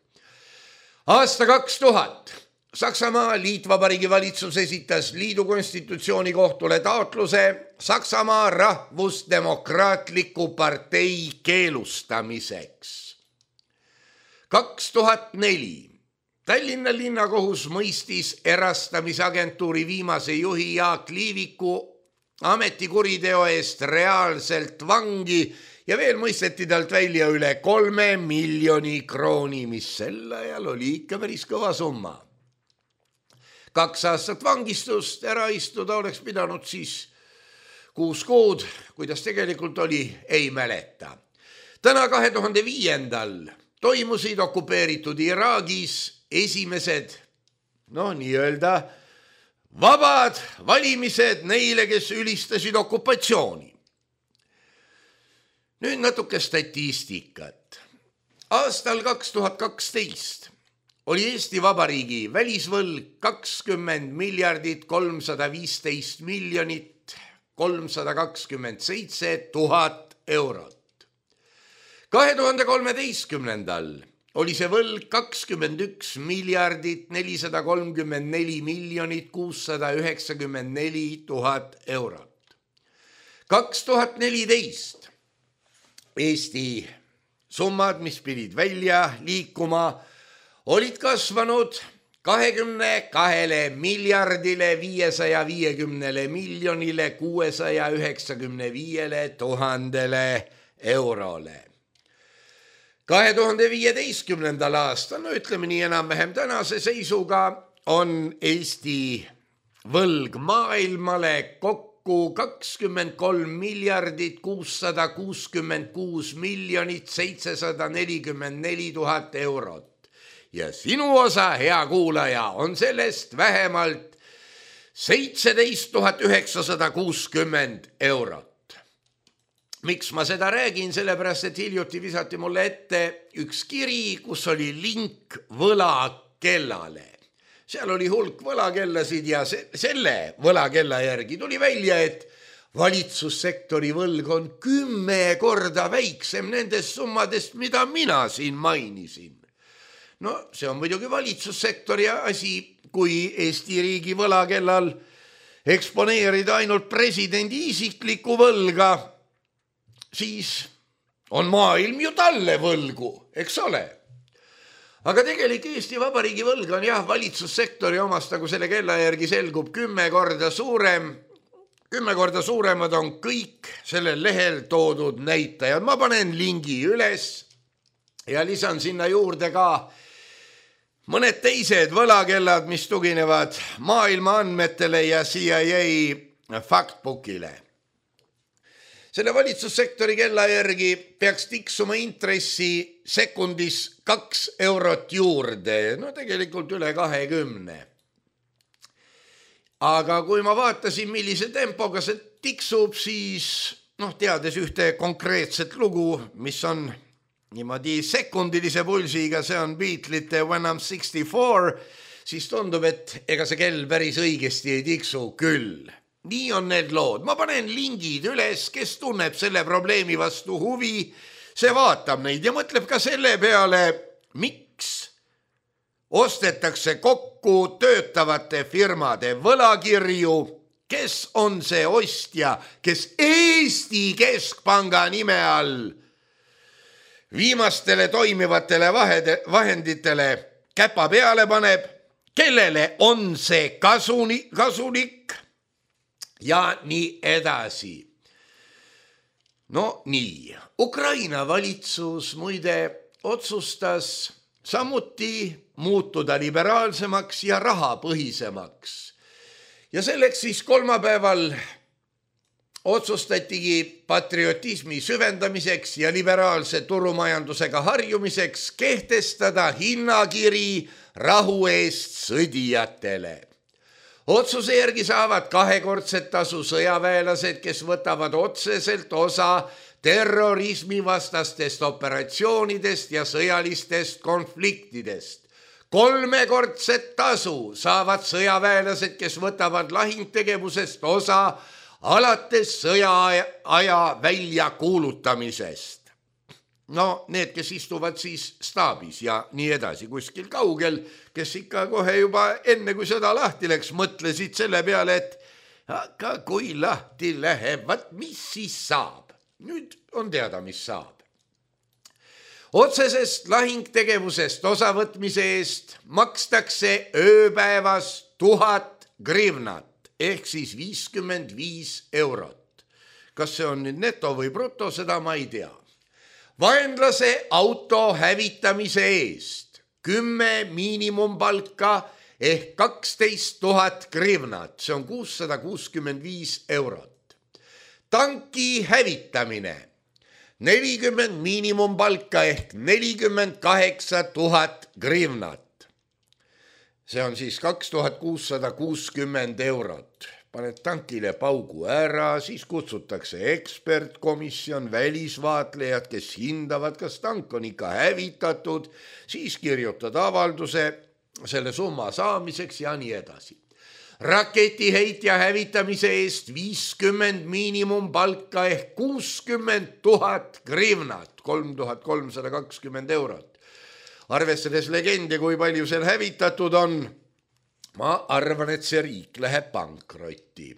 Aasta kaks tuhat Saksamaa Liitvabariigi valitsus esitas liidu konstitutsiooni kohtule taotluse Saksamaa Rahvusdemokraatliku partei keelustamiseks. kaks tuhat neli Tallinna linnakohus mõistis erastamisagentuuri viimase juhi Jaak Liiviku ametikuriteo eest reaalselt vangi ja veel mõisteti talt välja üle kolme miljoni krooni, mis sel ajal oli ikka päris kõva summa. Kaks aastat vangistust ära istuda oleks pidanud siis kuus kuud, kuidas tegelikult oli, ei mäleta. Täna kahe tuhande viiendal toimusid okupeeritud Iraagis esimesed, no nii-öelda vabad valimised neile, kes ülistasid okupatsiooni. Nüüd natuke statistikat. Aastal kaks tuhat kaksteist oli Eesti Vabariigi välisvõlg kakskümmend miljardit kolmsada viisteist miljonit kolmsada kakskümmend seitse tuhat eurot. kahe tuhande kolmeteistkümnendal oli see võlg kakskümmend üks miljardit nelisada kolmkümmend neli miljonit kuussada üheksakümmend neli tuhat eurot. kaks tuhat neliteist Eesti summad, mis pidid välja liikuma, olid kasvanud kahekümne kahele miljardile viiesaja viiekümnele miljonile kuuesaja üheksakümne viiele tuhandele eurole. kahe tuhande viieteistkümnendal aastal, no ütleme nii enam-vähem tänase seisuga, on Eesti võlg maailmale kokku kakskümmend kolm miljardit kuussada kuuskümmend kuus miljonit seitsesada nelikümmend neli tuhat eurot. Ja sinu osa, hea kuulaja, on sellest vähemalt seitseteist tuhat üheksasada kuuskümmend eurot. Miks ma seda räägin? Sellepärast, et hiljuti visati mulle ette üks kiri, kus oli link võlakellale. Seal oli hulk võlakellasid ja se- selle võlakella järgi tuli välja, et valitsussektori võlg on kümme korda väiksem nendest summadest, mida mina siin mainisin. No see on muidugi valitsussektori asi, kui Eesti riigi võlakellal eksponeerida ainult presidendi isiklikku võlga, siis on maailm ju talle võlgu, eks ole. Aga tegelik Eesti Vabariigi võlg on jah, valitsussektori omast, nagu selle kella järgi selgub, kümme korda suurem. Kümme korda suuremad on kõik sellel lehel toodud näitajad. Ma panen lingi üles ja lisan sinna juurde ka mõned teised võlakellad, mis tuginevad maailma andmetele ja C I A factbookile. Selle valitsussektori kella järgi peaks tiksuma intressi sekundis kaks eurot juurde, no tegelikult üle kahekümne. Aga kui ma vaatasin, millise tempoga see tiksub, siis noh, teades ühte konkreetset lugu, mis on niimoodi sekundilise pulsiga, see on Beatlesite When I'm sixty-four, siis tundub, et ega see kell päris õigesti ei tiksu küll. Nii on need lood. Ma panen lingid üles, kes tunneb selle probleemi vastu huvi, see vaatab neid ja mõtleb ka selle peale, miks ostetakse kokku töötavate firmade võlakirju, kes on see ostja, kes Eesti Keskpanga nime all viimastele toimivatele vahenditele käpa peale paneb, kellele on see kasuni, kasulik ja nii edasi. No nii, Ukraina valitsus muide otsustas samuti muutuda liberaalsemaks ja rahapõhisemaks. Ja selleks siis kolmapäeval otsustatigi patriotismi süvendamiseks ja liberaalse turumajandusega harjumiseks kehtestada hinnakiri rahu eest sõdijatele. Otsuse järgi saavad kahekordset tasu sõjaväelased, kes võtavad otseselt osa terrorismivastastest operatsioonidest ja sõjalistest konfliktidest. Kolmekordset tasu saavad sõjaväelased, kes võtavad lahingtegevusest osa alates sõjaaja väljakuulutamisest. No need, kes istuvad siis staabis ja nii edasi kuskil kaugel, kes ikka kohe juba enne, kui sõda lahti läks, mõtlesid selle peale, et aga kui lahti läheb, vaat mis siis saab? Nüüd on teada, mis saab. Otsesest lahingtegevusest osavõtmise eest makstakse ööpäevas tuhat grivnat ehk siis viiskümmend viis eurot. Kas see on nüüd neto või bruto, seda ma ei tea. Vaenlase auto hävitamise eest kümme miinimumpalka ehk kaksteist tuhat grivnat, see on kuussada kuuskümmend viis eurot. Tanki hävitamine nelikümmend miinimumpalka ehk nelikümmend kaheksa tuhat grivnat. See on siis kaks tuhat kuussada kuuskümmend eurot. paned tankile paugu ära, siis kutsutakse ekspertkomisjon, välisvaatlejad, kes hindavad, kas tank on ikka hävitatud, siis kirjutad avalduse selle summa saamiseks ja nii edasi. Raketiheitja hävitamise eest viiskümmend miinimumpalka ehk kuuskümmend tuhat grivnat, kolm tuhat kolmsada kakskümmend eurot. Arvestades legendi, kui palju seal hävitatud on, ma arvan, et see riik läheb pankrotti.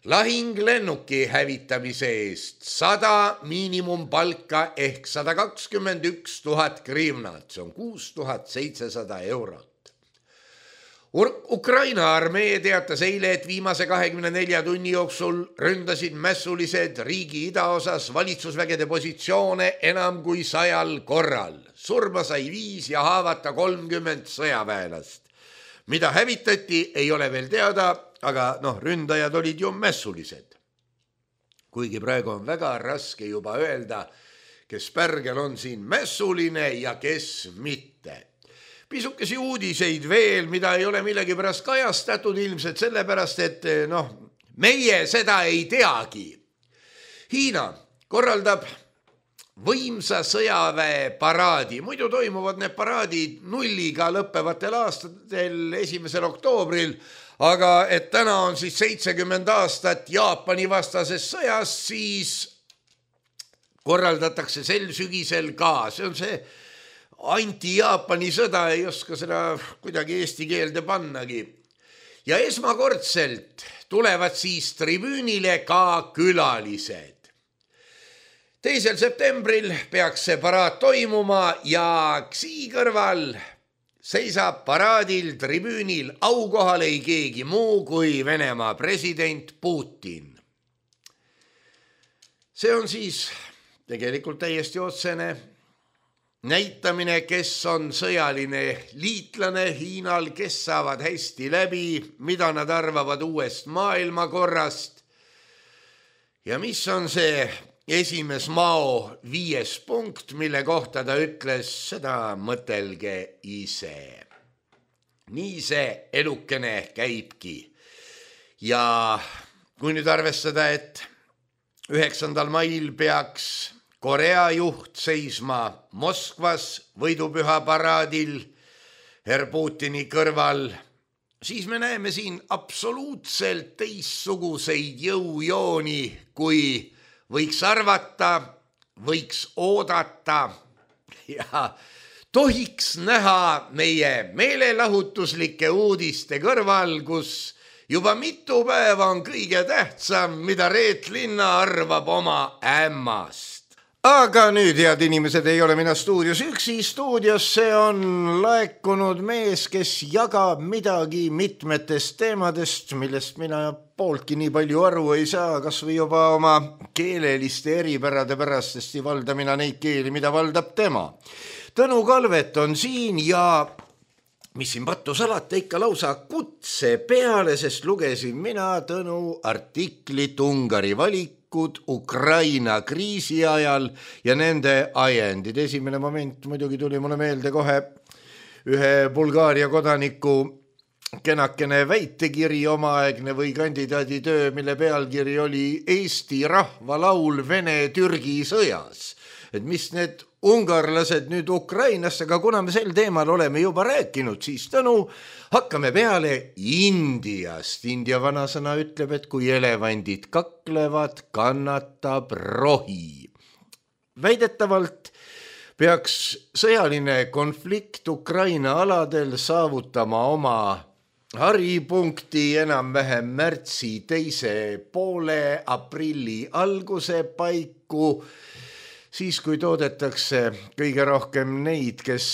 Lahinglennuki hävitamise eest sada miinimumpalka ehk sada kakskümmend üks tuhat grivnat, see on kuus tuhat seitsesada eurot. Ukraina armee teatas eile, et viimase kahekümne nelja tunni jooksul ründasid mässulised riigi idaosas valitsusvägede positsioone enam kui sajal korral. Surma sai viis ja haavata kolmkümmend sõjaväelast. Mida hävitati, ei ole veel teada, aga noh, ründajad olid ju mässulised. Kuigi praegu on väga raske juba öelda, kes pärgel on siin mässuline ja kes mitte. Pisukesi uudiseid veel, mida ei ole millegi pärast kajastatud, ilmselt sellepärast, et noh, meie seda ei teagi. Hiina korraldab võimsa sõjaväe paraadi. Muidu toimuvad need paraadid nulliga lõppevatel aastatel esimesel oktoobril, aga et täna on siis seitsekümmend aastat Jaapani vastases sõjas, siis korraldatakse sel sügisel ka. See on see anti-Jaapani sõda, ei oska seda kuidagi eesti keelde pannagi. Ja esmakordselt tulevad siis tribüünile ka külalised. teisel septembril peaks see paraad toimuma ja Xi kõrval seisab paraadil tribüünil aukohal ei keegi muu kui Venemaa president Putin. See on siis tegelikult täiesti otsene näitamine, kes on sõjaline liitlane Hiinal, kes saavad hästi läbi, mida nad arvavad uuest maailmakorrast ja mis on see esimes Mao viies punkt, mille kohta ta ütles, seda mõtelge ise. Nii see elukene käibki. Ja kui nüüd arvestada, et üheksandal mail peaks Korea juht seisma Moskvas võidupüha paraadil herr Putini kõrval, siis me näeme siin absoluutselt teistsuguseid jõujooni, kui võiks arvata, võiks oodata ja tohiks näha meie meelelahutuslike uudiste kõrval, kus juba mitu päeva on kõige tähtsam, mida Reet Linna arvab oma ämmast. Aga nüüd, head inimesed, ei ole mina stuudios üksi. Stuudiosse on laekunud mees, kes jagab midagi mitmetest teemadest, millest mina pooltki nii palju aru ei saa, kas või juba oma keeleliste eripärade pärast, sest ei valda mina neid keeli, mida valdab tema. Tõnu Kalvet on siin ja mis siin pattu salata, ikka lausa kutse peale, sest lugesin mina Tõnu artiklit Ungari valik Ukraina kriisi ajal ja nende ajendid. Esimene moment muidugi tuli mulle meelde kohe ühe Bulgaaria kodaniku kenakene väitekiri omaaegne või kandidaaditöö, mille pealkiri oli Eesti rahvalaul Vene-Türgi sõjas. Et mis need ungarlased nüüd Ukrainasse, aga kuna me sel teemal oleme juba rääkinud, siis Tõnu, hakkame peale Indiast. India vanasõna ütleb, et kui elevandid kaklevad, kannatab rohi. Väidetavalt peaks sõjaline konflikt Ukraina aladel saavutama oma haripunkti enam-vähem märtsi teise poole, aprilli alguse paiku, siis kui toodetakse kõige rohkem neid, kes,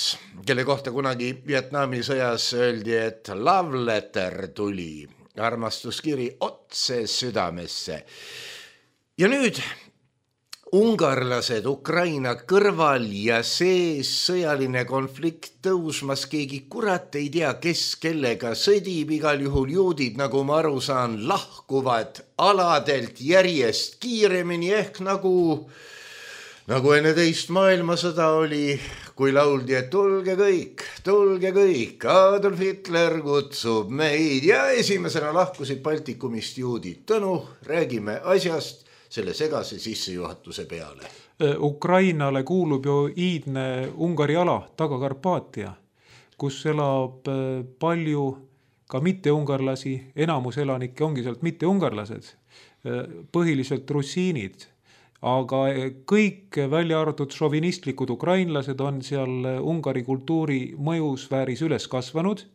kelle kohta kunagi Vietnami sõjas öeldi, et love letter tuli, armastuskiri otse südamesse. Ja nüüd ungarlased Ukraina kõrval ja sees sõjaline konflikt tõusmas, keegi kurat ei tea, kes kellega sõdib, igal juhul juudid, nagu ma aru saan, lahkuvad aladelt järjest kiiremini ehk nagu Nagu enne teist maailmasõda oli, kui lauldi, et tulge kõik, tulge kõik, Adolf Hitler kutsub meid ja esimesena lahkusid Baltikumist juudid. Tõnu, räägime asjast selle segase sissejuhatuse peale. Ukrainale kuulub ju iidne Ungari ala, Taga-Karpaatia, kus elab palju ka mitte-ungarlasi, enamus elanikke ongi sealt mitte-ungarlased, põhiliselt russiinid. Aga kõik välja arvatud šovinistlikud ukrainlased on seal Ungari kultuuri mõjusfääris üles kasvanud,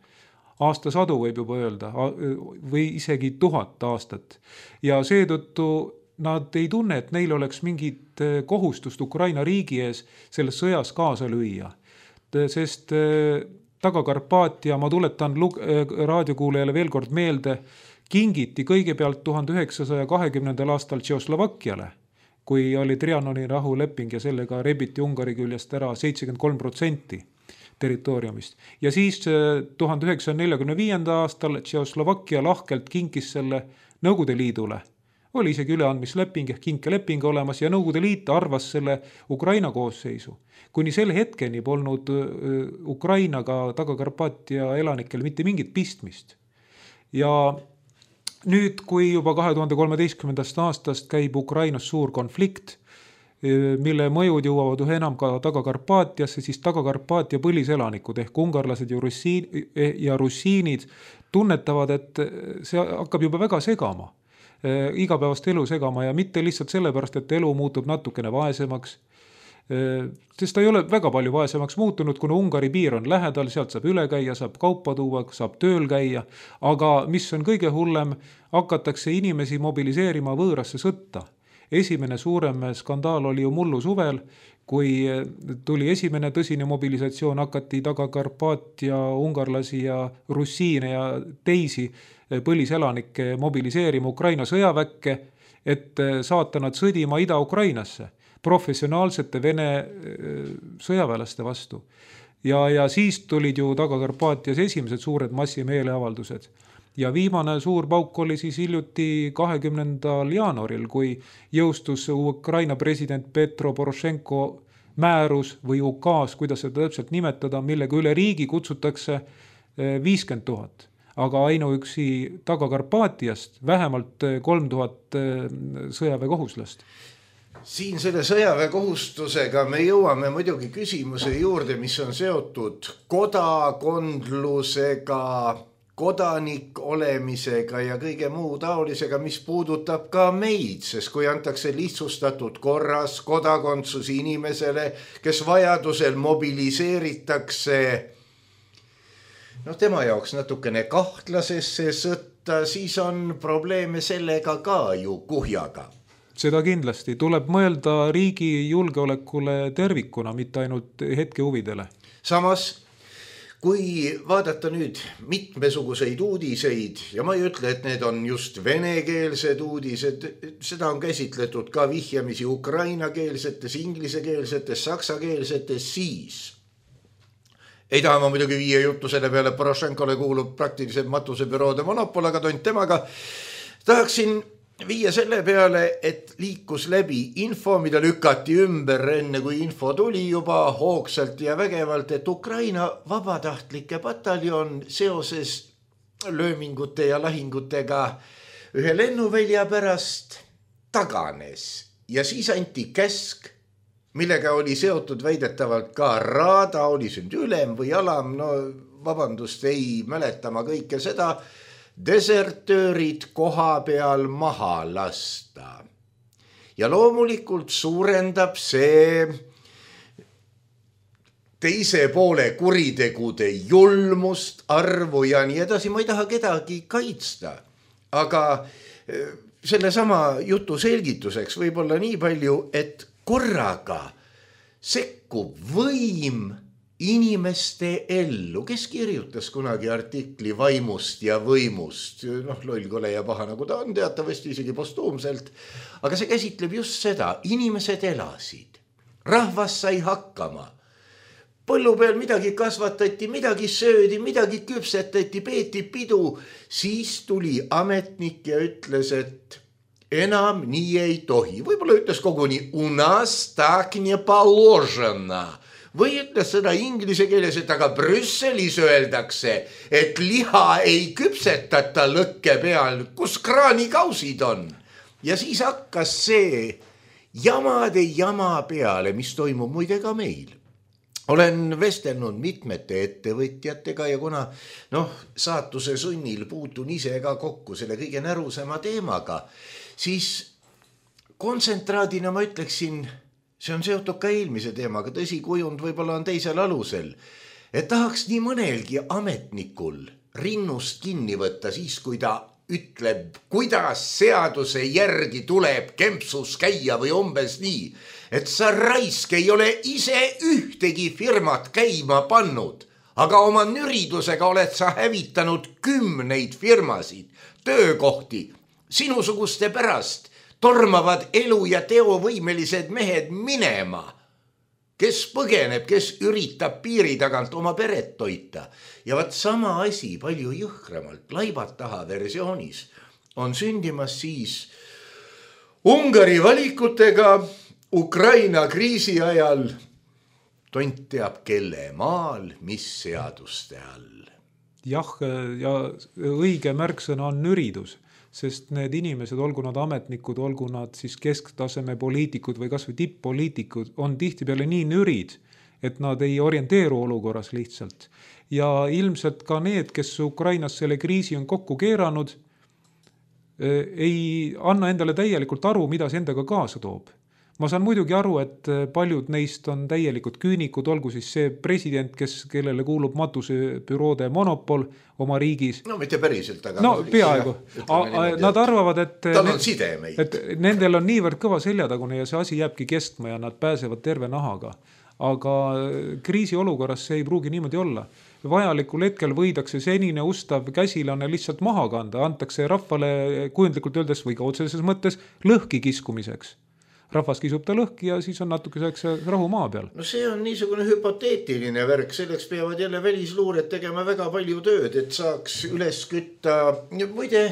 aastasadu võib juba öelda, või isegi tuhat aastat. Ja seetõttu nad ei tunne, et neil oleks mingit kohustust Ukraina riigi ees selles sõjas kaasa lüüa. Sest Taga-Karpaatia, ma tuletan raadiokuulajale veel kord meelde, kingiti kõigepealt tuhande üheksasaja kahekümnendal aastal Tšehhoslovakkiale, kui oli Trianoni rahuleping ja sellega rebiti Ungari küljest ära seitsekümmend kolm protsenti territooriumist. Ja siis tuhande üheksasaja neljakümne viiendal aastal Tšehhoslovakkia lahkelt kinkis selle Nõukogude Liidule. Oli isegi üleandmisleping ehk kinkeleping olemas ja Nõukogude Liit arvas selle Ukraina koosseisu. Kuni selle hetkeni polnud Ukrainaga Taga-Karpaatia elanikel mitte mingit pistmist. Ja nüüd, kui juba kahe tuhande kolmeteistkümnendast aastast käib Ukrainas suur konflikt, mille mõjud jõuavad ühe enam ka Taga-Karpaatiasse, siis Taga-Karpaatia põliselanikud ehk ungarlased ja, russiin, ja russiinid tunnetavad, et see hakkab juba väga segama, igapäevast elu segama ja mitte lihtsalt sellepärast, et elu muutub natukene vaesemaks, sest ta ei ole väga palju vaesemaks muutunud, kuna Ungari piir on lähedal, sealt saab üle käia, saab kaupa tuua, saab tööl käia, aga mis on kõige hullem, hakatakse inimesi mobiliseerima võõrasse sõtta. Esimene suurem skandaal oli ju mullu suvel, kui tuli esimene tõsine mobilisatsioon, hakati Taga-Karpaatia ungarlasi ja russiine ja teisi põliselanikke mobiliseerima Ukraina sõjaväkke, et saata nad sõdima Ida-Ukrainasse professionaalsete Vene sõjaväelaste vastu. Ja, ja siis tulid ju Taga-Karpaatias esimesed suured massimeeleavaldused. Ja viimane suur pauk oli siis hiljuti kahekümnendal jaanuaril, kui jõustus Ukraina president Petro Porošenko määrus või ukaas, kuidas seda täpselt nimetada, millega üle riigi kutsutakse viiskümmend tuhat. Aga ainuüksi Taga-Karpaatiast vähemalt kolm tuhat sõjaväekohuslast. Siin selle sõjaväekohustusega me jõuame muidugi küsimuse juurde, mis on seotud kodakondlusega, kodanik olemisega ja kõige muu taolisega, mis puudutab ka meid, sest kui antakse lihtsustatud korras kodakondsus inimesele, kes vajadusel mobiliseeritakse noh, tema jaoks natukene kahtlasesse sõtta, siis on probleeme sellega ka ju kuhjaga. Seda kindlasti tuleb mõelda riigi julgeolekule tervikuna, mitte ainult hetke huvidele. Samas, kui vaadata nüüd mitmesuguseid uudiseid, ja ma ei ütle, et need on just venekeelsed uudised, seda on käsitletud ka vihjamisi ukrainakeelsetes, inglisekeelsetes, saksakeelsetes, siis ei taha ma muidugi viia juttu selle peale, Porošenkole kuulub praktiliselt matusebüroode monopol, aga tont temaga tahaksin viia selle peale, et liikus läbi info, mida lükati ümber enne, kui info tuli juba hoogsalt ja vägevalt, et Ukraina vabatahtlike pataljon seoses löömingute ja lahingutega ühe lennuvälja pärast taganes. Ja siis anti käsk, millega oli seotud väidetavalt ka Raada, oli see ülem või alam, no vabandust, ei mäleta ma kõike seda, desertöörid koha peal maha lasta. Ja loomulikult suurendab see teise poole kuritegude julmust, arvu ja nii edasi. Ma ei taha kedagi kaitsta, aga selle sama jutu selgituseks võib olla nii palju, et korraga sekkub võim inimeste ellu, kes kirjutas kunagi artikli vaimust ja võimust, noh, lollkole ja paha nagu ta on, teatavasti isegi postuumselt, aga see käsitleb just seda, inimesed elasid, rahvas sai hakkama, põllu peal midagi kasvatati, midagi söödi, midagi küpsetati, peeti pidu, siis tuli ametnik ja ütles, et enam nii ei tohi. Võib-olla ütles koguni u nas tak не положено. Või ütles seda inglise keeles, et aga Brüsselis öeldakse, et liha ei küpsetata lõkke peal, kus kraanikausid on. Ja siis hakkas see jamade jama peale, mis toimub muide ka meil. Olen vestelnud mitmete ettevõtjatega ja kuna noh, saatuse sunnil puutun ise ka kokku selle kõige närusema teemaga, siis kontsentraadina ma ütleksin, see on seotud ka eelmise teemaga, tõsi kujund võib-olla on teisel alusel, et tahaks nii mõnelgi ametnikul rinnust kinni võtta siis, kui ta ütleb, kuidas seaduse järgi tuleb kempsus käia või umbes nii, et sa raisk ei ole ise ühtegi firmat käima pannud, aga oma nüridusega oled sa hävitanud kümneid firmasid, töökohti, sinusuguste pärast tormavad elu ja teovõimelised mehed minema, kes põgeneb, kes üritab piiri tagant oma peret toita. Ja vaat sama asi palju jõhkramalt, laibat taha versioonis on sündimas siis Ungari valikutega Ukraina kriisi ajal tont teab kelle maal, mis seaduste all. Jah, ja õige märksõna on nüridus. Sest need inimesed, olgu nad ametnikud, olgu nad siis kesktaseme poliitikud või kas või tipp-poliitikud, on tihtipeale nii nürid, et nad ei orienteeru olukorras lihtsalt. Ja ilmselt ka need, kes Ukrainas selle kriisi on kokku keeranud, ei anna endale täielikult aru, mida see endaga kaasa toob. Ma saan muidugi aru, et paljud neist on täielikult küünikud, olgu siis see president, kes, kellele kuulub matusebüroode monopol oma riigis. No mitte päriselt, aga... No peaaegu. Nad arvavad, et, tal on sidemeid. Et nendel on niivõrd kõva seljatagune ja see asi jääbki kestma ja nad pääsevad terve nahaga. Aga kriisi olukorras see ei pruugi niimoodi olla. Vajalikul hetkel võidakse senine ustav käsilane lihtsalt maha kanda, antakse rahvale kujundlikult öeldes või ka otseses mõttes lõhki kiskumiseks. Rahvas kisub ta lõhki ja siis on natukeseks rahu maa peal. No see on niisugune hüpoteetiline värk, selleks peavad jälle välisluured tegema väga palju tööd, et saaks üles kütta. Muide,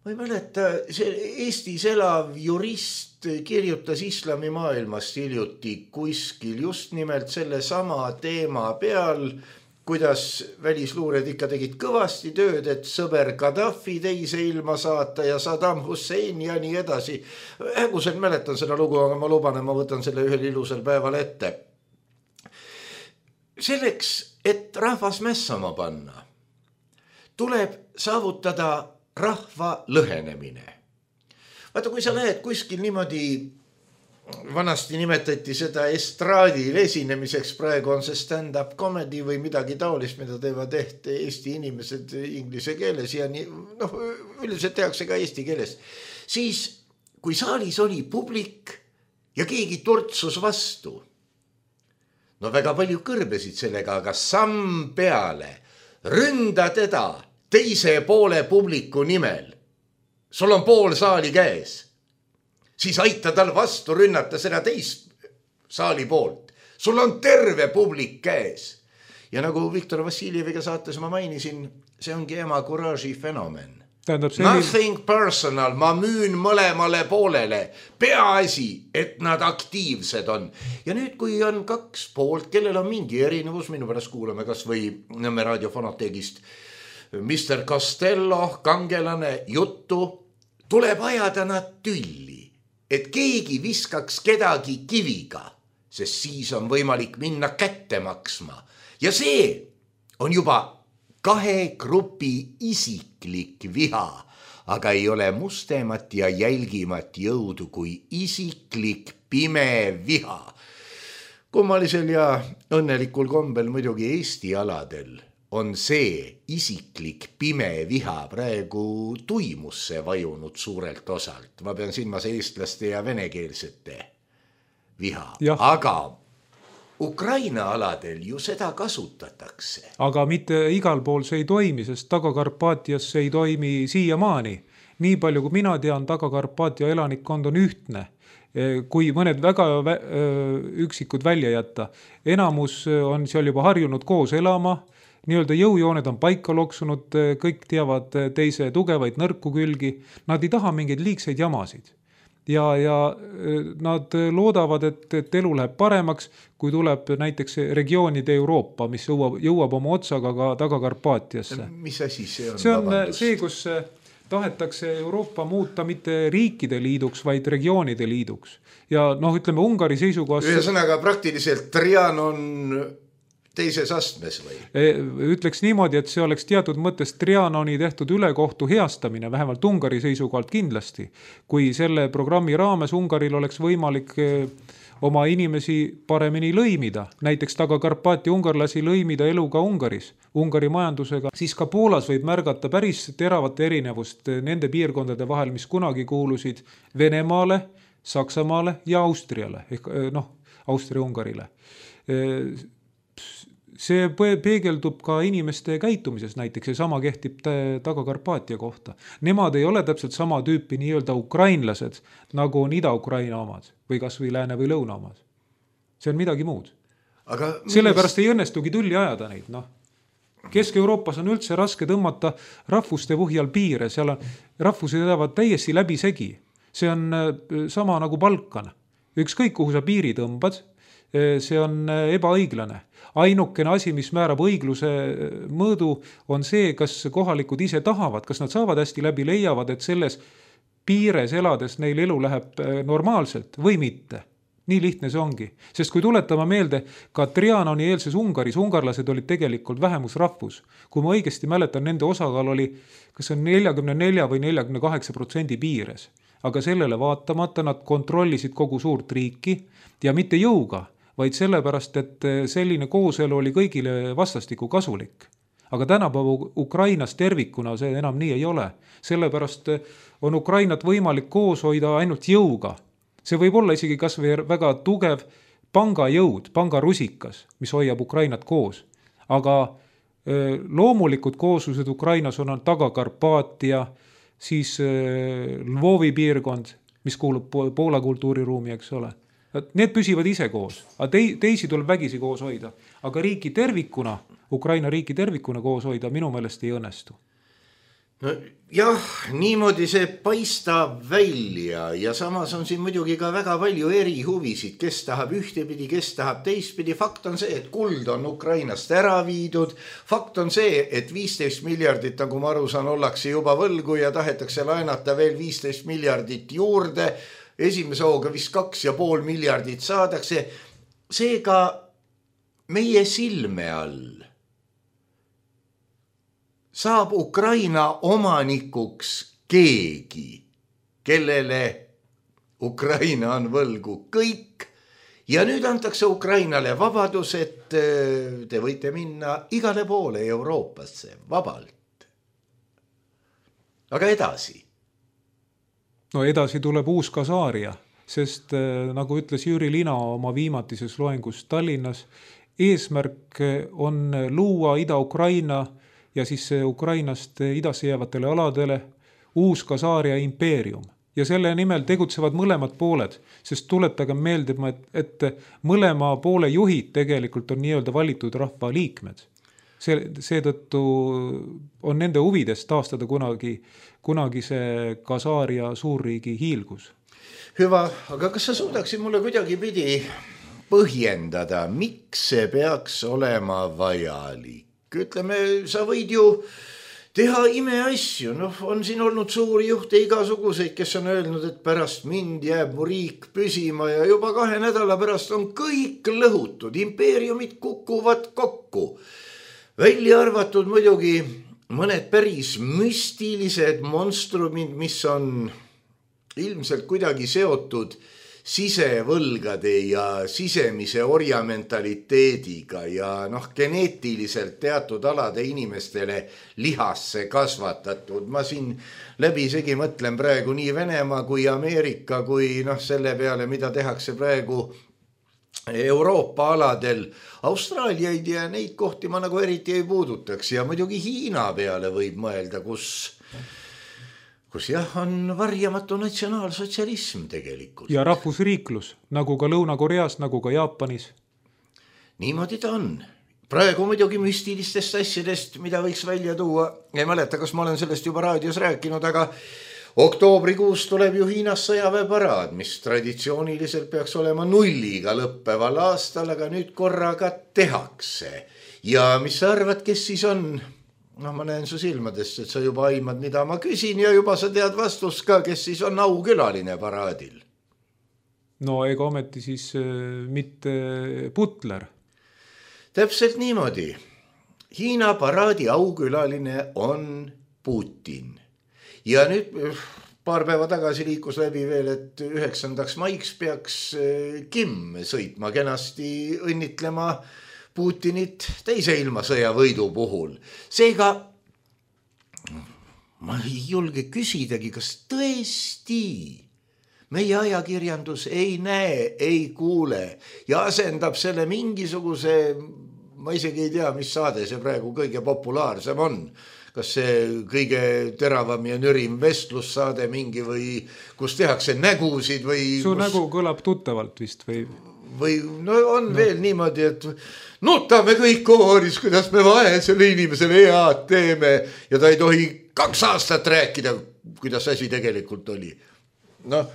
ma ei mäleta, see Eestis elav jurist kirjutas islami maailmast hiljuti kuskil just nimelt selle sama teema peal, kuidas välisluured ikka tegid kõvasti tööd, et sõber Gaddafi teise ilma saata ja Saddam Hussein ja nii edasi. Häguselt mäletan seda lugu, aga ma luban, et ma võtan selle ühel ilusel päeval ette. Selleks, et rahvas mässama panna, tuleb saavutada rahva lõhenemine. Vaata, kui sa lähed kuskil niimoodi, vanasti nimetati seda estraadil esinemiseks, praegu on see stand-up comedy või midagi taolist, mida teevad ehk Eesti inimesed inglise keeles ja nii, noh, üldiselt tehakse ka eesti keeles. Siis, kui saalis oli publik ja keegi turtsus vastu, no väga palju kõrbesid sellega, aga samm peale, ründa teda teise poole publiku nimel. Sul on pool saali käes. Siis aita tal vastu rünnata seda teist saali poolt. Sul on terve publik käes. Ja nagu Viktor Vassiljeviga saates ma mainisin, see ongi ema kuraaži fenomen. Selline... Nothing personal, ma müün mõlemale poolele. Peaasi, et nad aktiivsed on. Ja nüüd, kui on kaks poolt, kellel on mingi erinevus, minu pärast kuulame kas või Nõmme raadiofonoteegist mister Costello, kangelane, juttu, tuleb ajada nad tülli. Et keegi viskaks kedagi kiviga, sest siis on võimalik minna kätte maksma. Ja see on juba kahe grupi isiklik viha, aga ei ole mustemat ja jälgimat jõudu kui isiklik pime viha. Kummalisel ja õnnelikul kombel muidugi Eesti aladel on see isiklik pime viha praegu tuimusse vajunud suurelt osalt. Ma pean silmas eestlaste ja venekeelsete viha. Ja. Aga Ukraina aladel ju seda kasutatakse. Aga mitte igal pool see ei toimi, sest Taga-Karpaatias see ei toimi siiamaani. Nii palju kui mina tean, Taga-Karpaatia elanikkond on ühtne. Kui mõned väga üksikud välja jätta. Enamus on seal juba harjunud koos elama. nii-öelda jõujooned on paika loksunud, kõik teavad teise tugevaid nõrku külgi, nad ei taha mingeid liigseid jamasid. Ja, ja nad loodavad, et, et elu läheb paremaks, kui tuleb näiteks regioonide Euroopa, mis jõuab, jõuab oma otsaga ka Taga-Karpaatiasse. Mis asi see on? See on vabandust. See, kus tahetakse Euroopa muuta mitte riikide liiduks, vaid regioonide liiduks. Ja noh, ütleme Ungari seisukohast... Ühesõnaga praktiliselt Trianon teises astmes või? Ütleks niimoodi, et see oleks teatud mõttes Trianoni tehtud ülekohtu heastamine, vähemalt Ungari seisukohalt kindlasti. Kui selle programmi raames Ungaril oleks võimalik oma inimesi paremini lõimida, näiteks Taga-Karpaati ungarlasi lõimida eluga Ungaris, Ungari majandusega, siis ka Poolas võib märgata päris teravat erinevust nende piirkondade vahel, mis kunagi kuulusid Venemaale, Saksamaale ja Austriale, ehk noh, Austria-Ungarile. See peegeldub ka inimeste käitumises näiteks ja sama kehtib Taga-Karpaatia kohta. Nemad ei ole täpselt sama tüüpi nii-öelda ukrainlased, nagu on Ida-Ukraina omad või kas või Lääne või Lõuna omad. See on midagi muud. Aga sellepärast ei õnnestugi tülli ajada neid. No. Kesk-Euroopas on üldse raske tõmmata rahvuste põhjal piire, seal on, rahvused elavad täiesti läbi segi. See on sama nagu Balkan. Ükskõik kuhu sa piiri tõmbad, see on ebaõiglane. Ainukene asi, mis määrab õigluse mõõdu, on see, kas kohalikud ise tahavad, kas nad saavad hästi läbi, leiavad, et selles piires elades neil elu läheb normaalselt või mitte. Nii lihtne see ongi. Sest kui tuletama meelde, ka Trianoni eelses Ungaris, ungarlased olid tegelikult vähemusrahvus. Kui ma õigesti mäletan, nende osakaal oli kas on nelikümmend neli või nelikümmend kaheksa protsendi piires. Aga sellele vaatamata nad kontrollisid kogu suurt riiki ja mitte jõuga, vaid sellepärast, et selline kooselu oli kõigile vastastiku kasulik. Aga tänapäeva Ukrainas tervikuna see enam nii ei ole. Sellepärast on Ukrainat võimalik koos hoida ainult jõuga. See võib olla isegi kas või väga tugev pangajõud, pangarusikas, mis hoiab Ukrainat koos. Aga loomulikud kooslused Ukrainas on Taga-Karpaatia, siis Lvovi piirkond, mis kuulub Poola kultuuriruumi, eks ole. Need püsivad ise koos, aga teisi tuleb vägisi koos hoida. Aga riiki tervikuna, Ukraina riiki tervikuna koos hoida minu meelest ei õnnestu. No, jah, niimoodi see paistab välja ja samas on siin muidugi ka väga palju eri huvisid, kes tahab ühtepidi, kes tahab teistpidi. Fakt on see, et kuld on Ukrainast ära viidud. Fakt on see, et viisteist miljardit, nagu ma aru saan, ollakse juba võlgu ja tahetakse laenata veel viisteist miljardit juurde. Esimese hooga vist kaks ja pool miljardit saadakse. Seega meie silme all saab Ukraina omanikuks keegi, kellele Ukraina on võlgu kõik. Ja nüüd antakse Ukrainale vabadus, et te võite minna igale poole Euroopasse vabalt. Aga edasi. No edasi tuleb uus Kasaaria, sest nagu ütles Jüri Lina oma viimatises loengus Tallinnas, eesmärk on luua Ida-Ukraina ja siis Ukrainast idasse jäävatele aladele uus Kasaaria impeerium. Ja selle nimel tegutsevad mõlemad pooled, sest tuletage meelde, et mõlema poole juhid tegelikult on nii-öelda valitud rahva liikmed. Seetõttu on nende huvides taastada kunagi, kunagi see Kasaaria suurriigi hiilgus. Hüva, aga kas sa suudaksid mulle kuidagi pidi põhjendada, miks see peaks olema vajalik? Ütleme, sa võid ju teha imeasju. No, on siin olnud suuri juhte igasuguseid, kes on öelnud, et pärast mind jääb mu riik püsima ja juba kahe nädala pärast on kõik lõhutud. Impeeriumid kukuvad kokku. Välja arvatud muidugi mõned päris müstilised monstrumid, mis on ilmselt kuidagi seotud sisevõlgade ja sisemise orjamentaliteediga ja noh, geneetiliselt teatud alade inimestele lihasse kasvatatud. Ma siin läbisegi mõtlen praegu nii Venemaa kui Ameerika kui noh, selle peale, mida tehakse praegu Euroopa aladel. Austraaliaid ja neid kohti ma nagu eriti ei puudutaks ja muidugi Hiina peale võib mõelda, kus, kus jah, on varjamatu natsionaalsotsialism tegelikult. Ja rahvusriiklus, nagu ka Lõuna-Koreas, nagu ka Jaapanis. Niimoodi ta on. praegu muidugi müstilistest asjadest, mida võiks välja tuua. Ei mäleta, kas ma olen sellest juba raadios rääkinud, aga oktoobrikuus tuleb ju Hiinas sõjaväeparaad, mis traditsiooniliselt peaks olema nulliga lõppeval aastal, aga nüüd korraga tehakse. Ja mis sa arvad, kes siis on? No ma näen su silmadest, et sa juba aimad, mida ma küsin ja juba sa tead vastust ka, kes siis on aukülaline paraadil. No ega ometi siis äh, mitte Butler. Täpselt niimoodi. Hiina paraadi aukülaline on Putin. Ja nüüd paar päeva tagasi liikus läbi veel, et üheksandaks maiks peaks Kim sõitma kenasti õnnitlema Putinit teise ilmasõja võidu puhul. Seega ma ei julge küsidagi, kas tõesti meie ajakirjandus ei näe, ei kuule ja asendab selle mingisuguse, ma isegi ei tea, mis saade see praegu kõige populaarsem on. Kas see kõige teravam ja nürim vestlussaade mingi või kus tehakse nägusid või... Su kus... nägu kõlab tuttavalt vist või... Või no on no. veel niimoodi, et nutame kõik kooris, kuidas me vaesele inimesele head teeme ja ta ei tohi kaks aastat rääkida, kuidas asi tegelikult oli. Noh,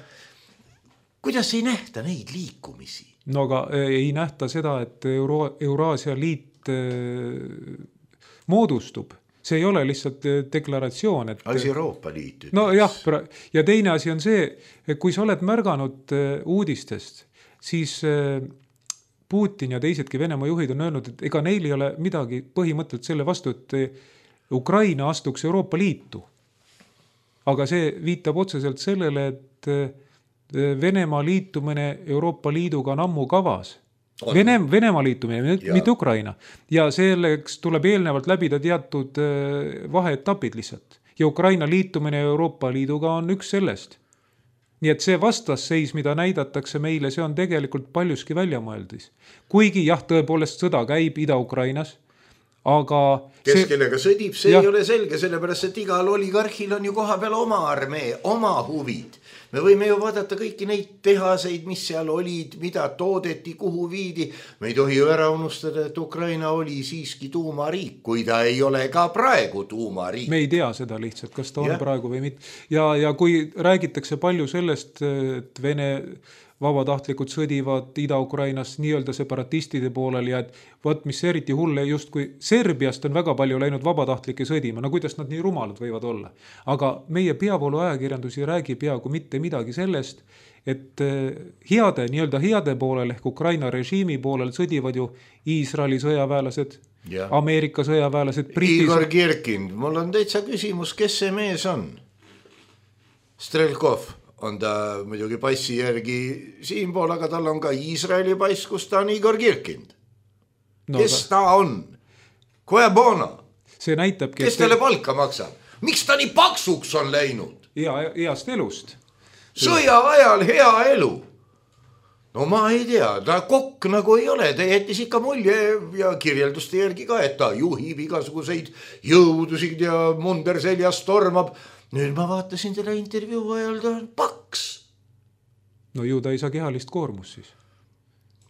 kuidas ei nähta neid liikumisi? No aga ei nähta seda, et Euro- Euraasia liit moodustub. See ei ole lihtsalt deklaratsioon. Et... Asi Euroopa liit. No jah, ja teine asi on see, et kui sa oled märganud uudistest, siis Putin ja teisedki Venemaa juhid on öelnud, et ega neil ei ole midagi põhimõtteliselt selle vastu, et Ukraina astuks Euroopa liitu. Aga see viitab otseselt sellele, et Venemaa liitumine Euroopa liiduga on ammu kavas. Vene, Venemaa liitumine, ja. mitte Ukraina. Ja selleks tuleb eelnevalt läbida teatud vaheetapid lihtsalt. Ja Ukraina liitumine Euroopa liiduga on üks sellest. Nii et see vastasseis, mida näidatakse meile, see on tegelikult paljuski väljamõeldis. Kuigi jah, tõepoolest sõda käib Ida-Ukrainas, aga... Kes see... kellega sõdib, see ja. ei ole selge, sellepärast, et igal oligarhil on ju koha peal oma armee, oma huvid. Me võime ju vaadata kõiki neid tehaseid, mis seal olid, mida toodeti, kuhu viidi. Me ei tohi ju ära unustada, et Ukraina oli siiski tuumariik, kui ta ei ole ka praegu tuumariik. Me ei tea seda lihtsalt, kas ta on ja. praegu või mitte. Ja, ja kui räägitakse palju sellest, et Vene vabatahtlikud sõdivad Ida-Ukrainas nii-öelda separatistide poolel ja et võt, mis eriti hulle, just kui Serbiast on väga palju läinud vabatahtlike sõdima, no kuidas nad nii rumalad võivad olla. Aga meie peavoolu ajakirjandus ei räägi peaaegu mitte midagi sellest, et heade, nii-öelda heade poolel ehk Ukraina režiimi poolel sõdivad ju Iisraeli sõjaväelased, ja. Ameerika sõjaväelased, Britis... Igor Kirkin, mul on täitsa küsimus, kes see mees on? Strelkov. On ta muidugi passi järgi siinpool, aga tal on ka Iisraeli pass, kus ta on Igor Kirkind. No, kes ta on? Koja bona? See näitabki, kes talle palka maksab? Miks ta nii paksuks on läinud? Hea, heast elust. Sõja ajal hea elu. No ma ei tea, ta kokk nagu ei ole, ta jättis ikka mulje ja kirjelduste järgi ka, et ta juhib igasuguseid jõudusid ja munder seljas tormab. Nüüd ma vaatasin teda intervjuu ajal, ta on paks. No ju ta ei saa kehalist koormus siis.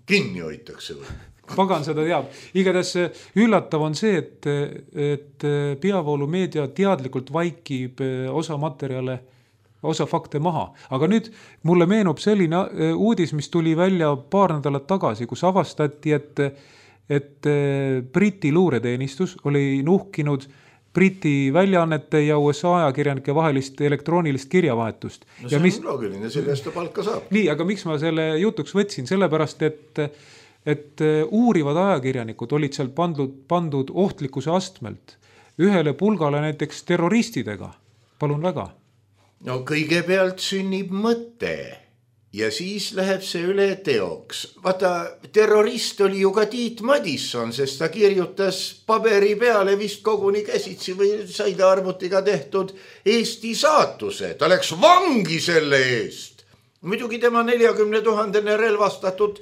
Kinni hoitakse või? Pagan seda teab. Igatahes üllatav on see, et, et peavoolu meedia teadlikult vaikib osa materjale, osa fakte maha. Aga nüüd mulle meenub selline uudis, mis tuli välja paar nädalat tagasi, kus avastati, et, et Briti luureteenistus oli nuhkinud Briti väljaannete ja U S A ajakirjanike vahelist elektroonilist kirjavahetust. No see ja mis... on loogiline, sellest ta palka saab. Nii, aga miks ma selle jutuks võtsin? Sellepärast, et, et uurivad ajakirjanikud olid seal pandud, pandud ohtlikkuse astmelt ühele pulgale näiteks terroristidega. Palun väga. No kõigepealt sünnib mõte ja siis läheb see üle teoks. Vaata, terrorist oli ju ka Tiit Madisson, sest ta kirjutas paberi peale vist koguni käsitsi või sai ta arvutiga tehtud Eesti saatuse. Ta läks vangi selle eest. Muidugi tema neljakümne tuhandene relvastatud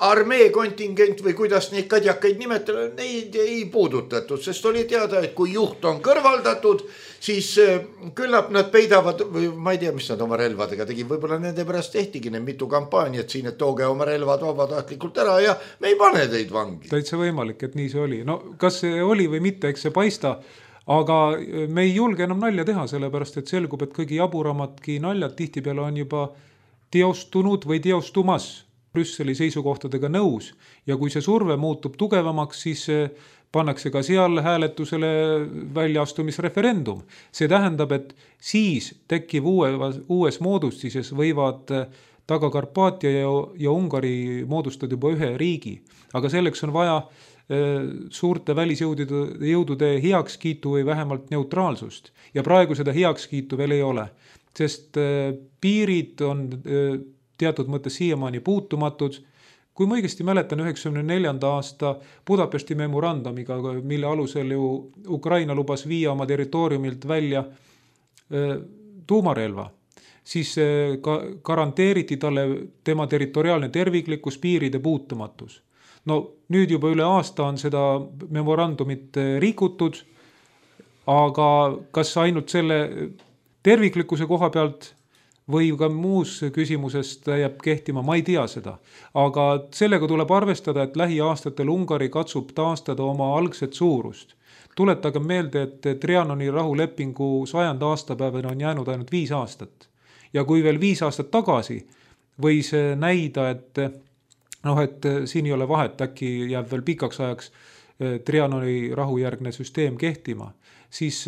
armee kontingent või kuidas neid kadjakaid nimetada, neid ei puudutatud, sest oli teada, et kui juht on kõrvaldatud, siis küllap nad peidavad, ma ei tea, mis nad oma relvadega tegi, võib-olla nende pärast tehtigi need mitu kampaaniat siin, et tooge oma relvad vabatahtlikult ära ja me ei pane teid vangi. Täitsa võimalik, et nii see oli. No kas see oli või mitte, eks see paista, aga me ei julge enam nalja teha, sellepärast et selgub, et kõigi jaburamadki naljad tihtipeale on juba teostunud või teostumas. Brüsseli seisukohtadega nõus ja kui see surve muutub tugevamaks, siis pannakse ka seal hääletusele väljaastumisreferendum. See tähendab, et siis tekkiv uue, uues moodustises võivad Taga-Karpaatia ja, ja Ungari moodustada juba ühe riigi. Aga selleks on vaja suurte välisjõudude jõudude heakskiitu või vähemalt neutraalsust. Ja praegu seda heakskiitu veel ei ole, sest piirid on teatud mõttes siiamaani puutumatud. Kui ma õigesti mäletan üheksakümne neljanda aasta Budapesti memorandumiga, mille alusel ju Ukraina lubas viia oma territooriumilt välja tuumarelva, siis ka garanteeriti talle tema territoriaalne terviklikkus, piiride puutumatus. No nüüd juba üle aasta on seda memorandumit rikutud, aga kas ainult selle terviklikkuse koha pealt või ka muus küsimusest jääb kehtima, ma ei tea seda. Aga sellega tuleb arvestada, et lähiaastatel Ungari katsub taastada oma algset suurust. Tuletage meelde, et Trianoni rahulepingu sajanda aastapäevana on jäänud ainult viis aastat. Ja kui veel viis aastat tagasi võis näida, et, noh, et siin ei ole vahet, äkki jääb veel pikaks ajaks Trianoni rahujärgne süsteem kehtima, siis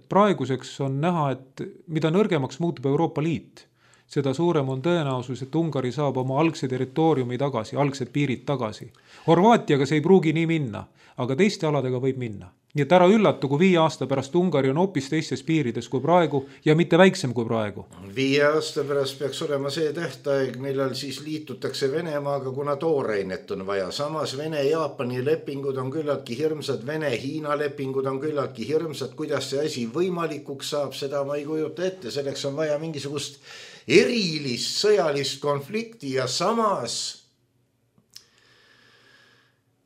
praeguseks on näha, et mida nõrgemaks muutub Euroopa Liit, seda suurem on tõenäosus, et Ungari saab oma algse territooriumi tagasi, algsed piirid tagasi. Horvaatiaga see ei pruugi nii minna, aga teiste aladega võib minna. Nii et ära üllatu, kui viie aasta pärast Ungari on hoopis teistes piirides kui praegu ja mitte väiksem kui praegu. Viie aasta pärast peaks olema see tähtaeg, millal siis liitutakse Venemaaga, kuna toorainet on vaja. Samas Vene-Jaapani lepingud on küllaltki hirmsad, Vene-Hiina lepingud on küllaltki hirmsad. Kuidas see asi võimalikuks saab, seda ma ei kujuta ette. Selleks on vaja mingisugust erilist sõjalist konflikti ja samas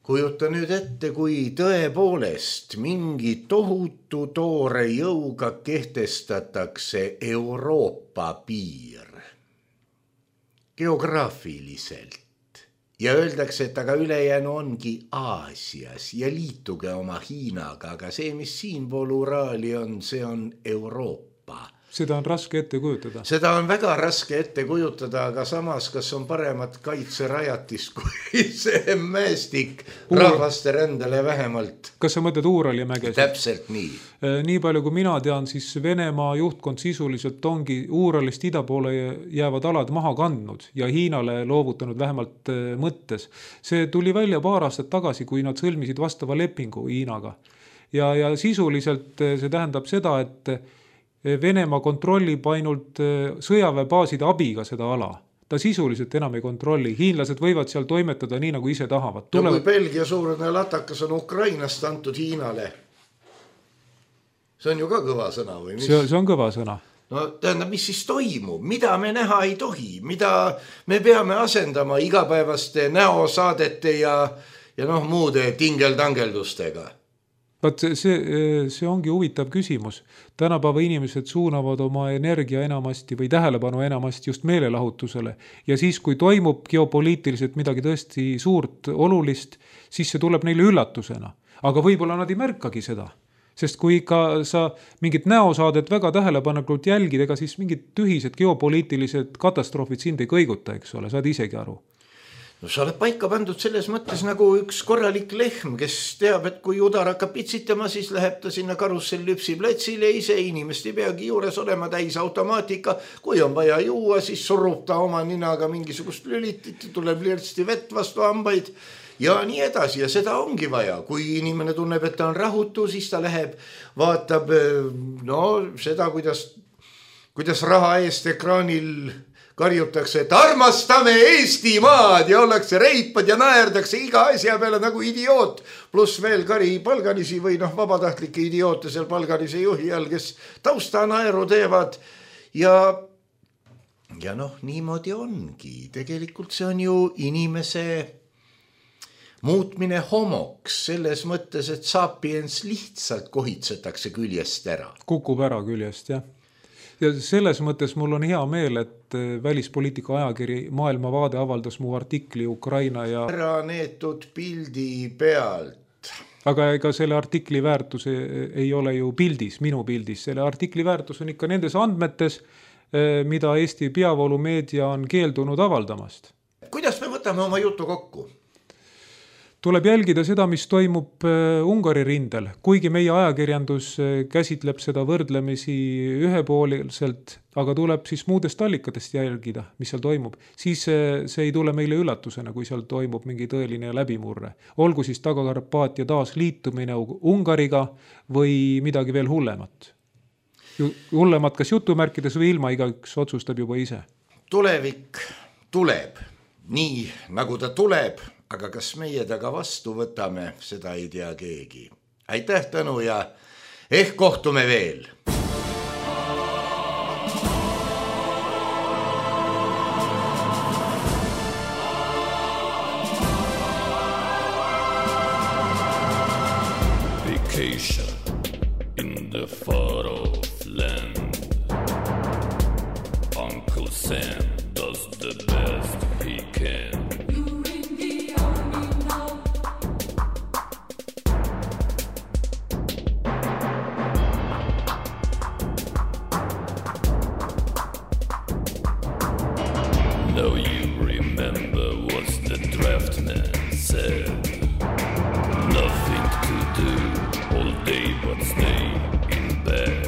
kujuta nüüd ette, kui tõepoolest mingi tohutu toore jõuga kehtestatakse Euroopa piir geograafiliselt ja öeldakse, et aga ülejäänu ongi Aasias ja liituge oma Hiinaga, aga see, mis siinpool Uraali on, see on Euroopa. Seda on raske ette kujutada. Seda on väga raske ette kujutada, aga samas, kas on paremat kaitserajatis kui see mäestik rahvaste rändele vähemalt. Kas sa mõtled Uurali mägesid? Täpselt nii. Nii palju kui mina tean, siis Venemaa juhtkond sisuliselt ongi Uuralist ida poole jäävad alad maha kandnud ja Hiinale loovutanud vähemalt mõttes. See tuli välja paar aastat tagasi, kui nad sõlmisid vastava lepingu Hiinaga. Ja, ja sisuliselt see tähendab seda, et Venemaa kontrollib ainult sõjaväebaaside abiga seda ala. Ta sisuliselt enam ei kontrolli. Hiinlased võivad seal toimetada nii, nagu ise tahavad. Tulevad... No kui Belgia suurene latakas on Ukrainast antud Hiinale, see on ju ka kõva sõna või mis? See, see on kõva sõna. No tähendab, mis siis toimub? Mida me näha ei tohi? Mida me peame asendama igapäevaste näosaadete ja, ja noh, muude tingeltangeldustega? Vaat see, see ongi huvitav küsimus. Tänapäeva inimesed suunavad oma energia enamasti või tähelepanu enamasti just meelelahutusele. Ja siis, kui toimub geopoliitiliselt midagi tõesti suurt, olulist, siis see tuleb neile üllatusena. Aga võib-olla nad ei märkagi seda. Sest kui ikka sa mingit näosaadet väga tähelepanelikult jälgid, ega siis mingid tühised geopoliitilised katastroofid sind ei kõiguta, eks ole, saad isegi aru. No sa oled paika pandud selles mõttes nagu üks korralik lehm, kes teab, et kui udar hakkab pitsitama, siis läheb ta sinna karussellüpsi platsile, ise inimest ei peagi juures olema täis automaatika. Kui on vaja juua, siis surub ta oma ninaga mingisugust lülitit, tuleb lirtsti vett vastu hambaid ja nii edasi. Ja seda ongi vaja. Kui inimene tunneb, et ta on rahutu, siis ta läheb, vaatab no, seda, kuidas, kuidas raha eest ekraanil karjutakse, et armastame Eestimaad ja ollakse reipad ja naerdakse iga asja peale nagu idioot. Plus veel kari palganisi või noh, vabatahtlikke idioote seal palganise juhi all, kes tausta naeru teevad. Ja ja noh, niimoodi ongi. Tegelikult see on ju inimese muutmine homoks selles mõttes, et sapiens lihtsalt kohitsetakse küljest ära. Kukub ära küljest, jah. Ja selles mõttes mul on hea meel, et välispoliitika ajakiri Maailmavaade avaldas mu artikli Ukraina ja... ära neetud pildi pealt. Aga ega selle artikli väärtus ei ole ju pildis, minu pildis. Selle artikli väärtus on ikka nendes andmetes, mida Eesti peavoolumeedia on keeldunud avaldamast. Kuidas me võtame oma jutu kokku? Tuleb jälgida seda, mis toimub Ungari rindel. Kuigi meie ajakirjandus käsitleb seda võrdlemisi ühepooliselt, aga tuleb siis muudest allikatest jälgida, mis seal toimub. Siis see ei tule meile üllatusena, kui seal toimub mingi tõeline läbimurre. Olgu siis Taga-Karpaatia taas liitumine Ungariga või midagi veel hullemat. Hullemat kas jutumärkides või ilma, igaüks otsustab juba ise. Tulevik tuleb nii, nagu ta tuleb. Aga kas meie taga vastu võtame, seda ei tea keegi. Aitäh, Tõnu, ja ehk kohtume veel. Vacation in the far off land. Uncle Sam does the best he can. Now you remember what the draftman said. Nothing to do all day but stay in bed.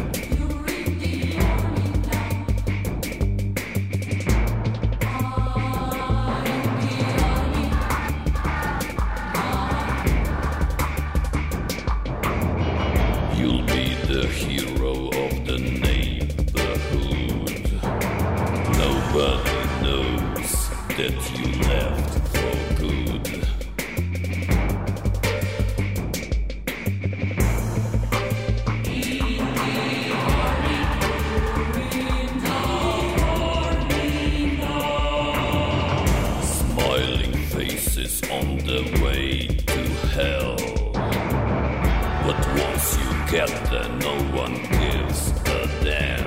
You'll be the hero of the neighborhood. Nobody that you left for good. Smiling faces on the way to hell. But once you get there, no one gives a damn.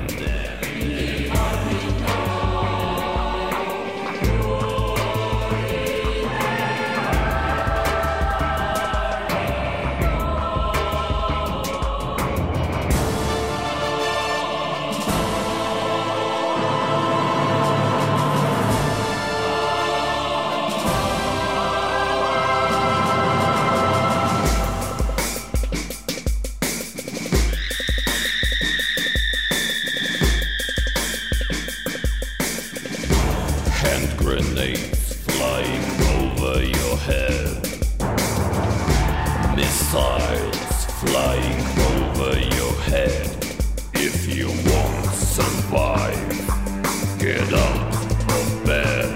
Grenades flying over your head. Missiles flying over your head. If you won't survive, get out of bed.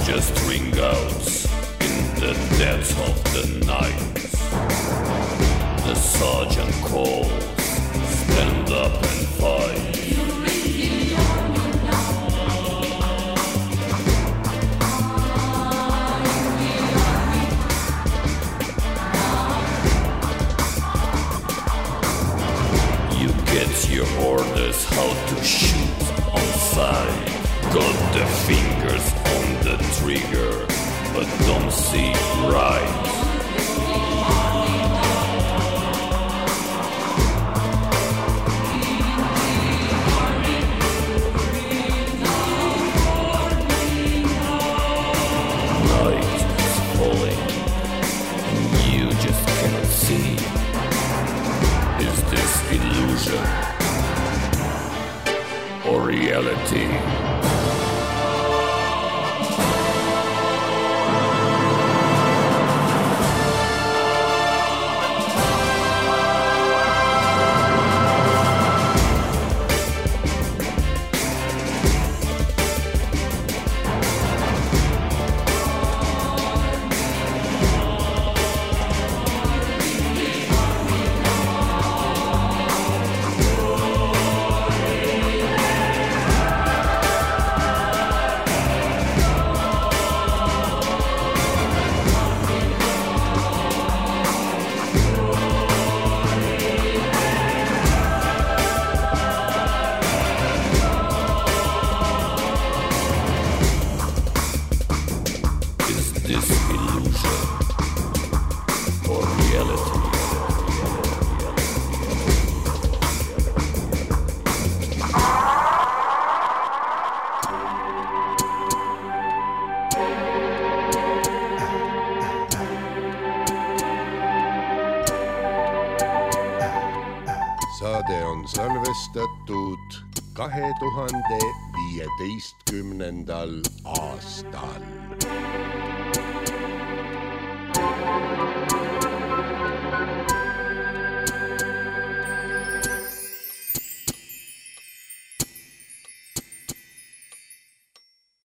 Just ring out in the depths of the night. The sergeant calls. Stand up and fight. You get your orders how to shoot on sight. Got the fingers on the trigger, but don't see right. Or reality. on salvestatud kahe tuhande viieteistkümnendal aastal.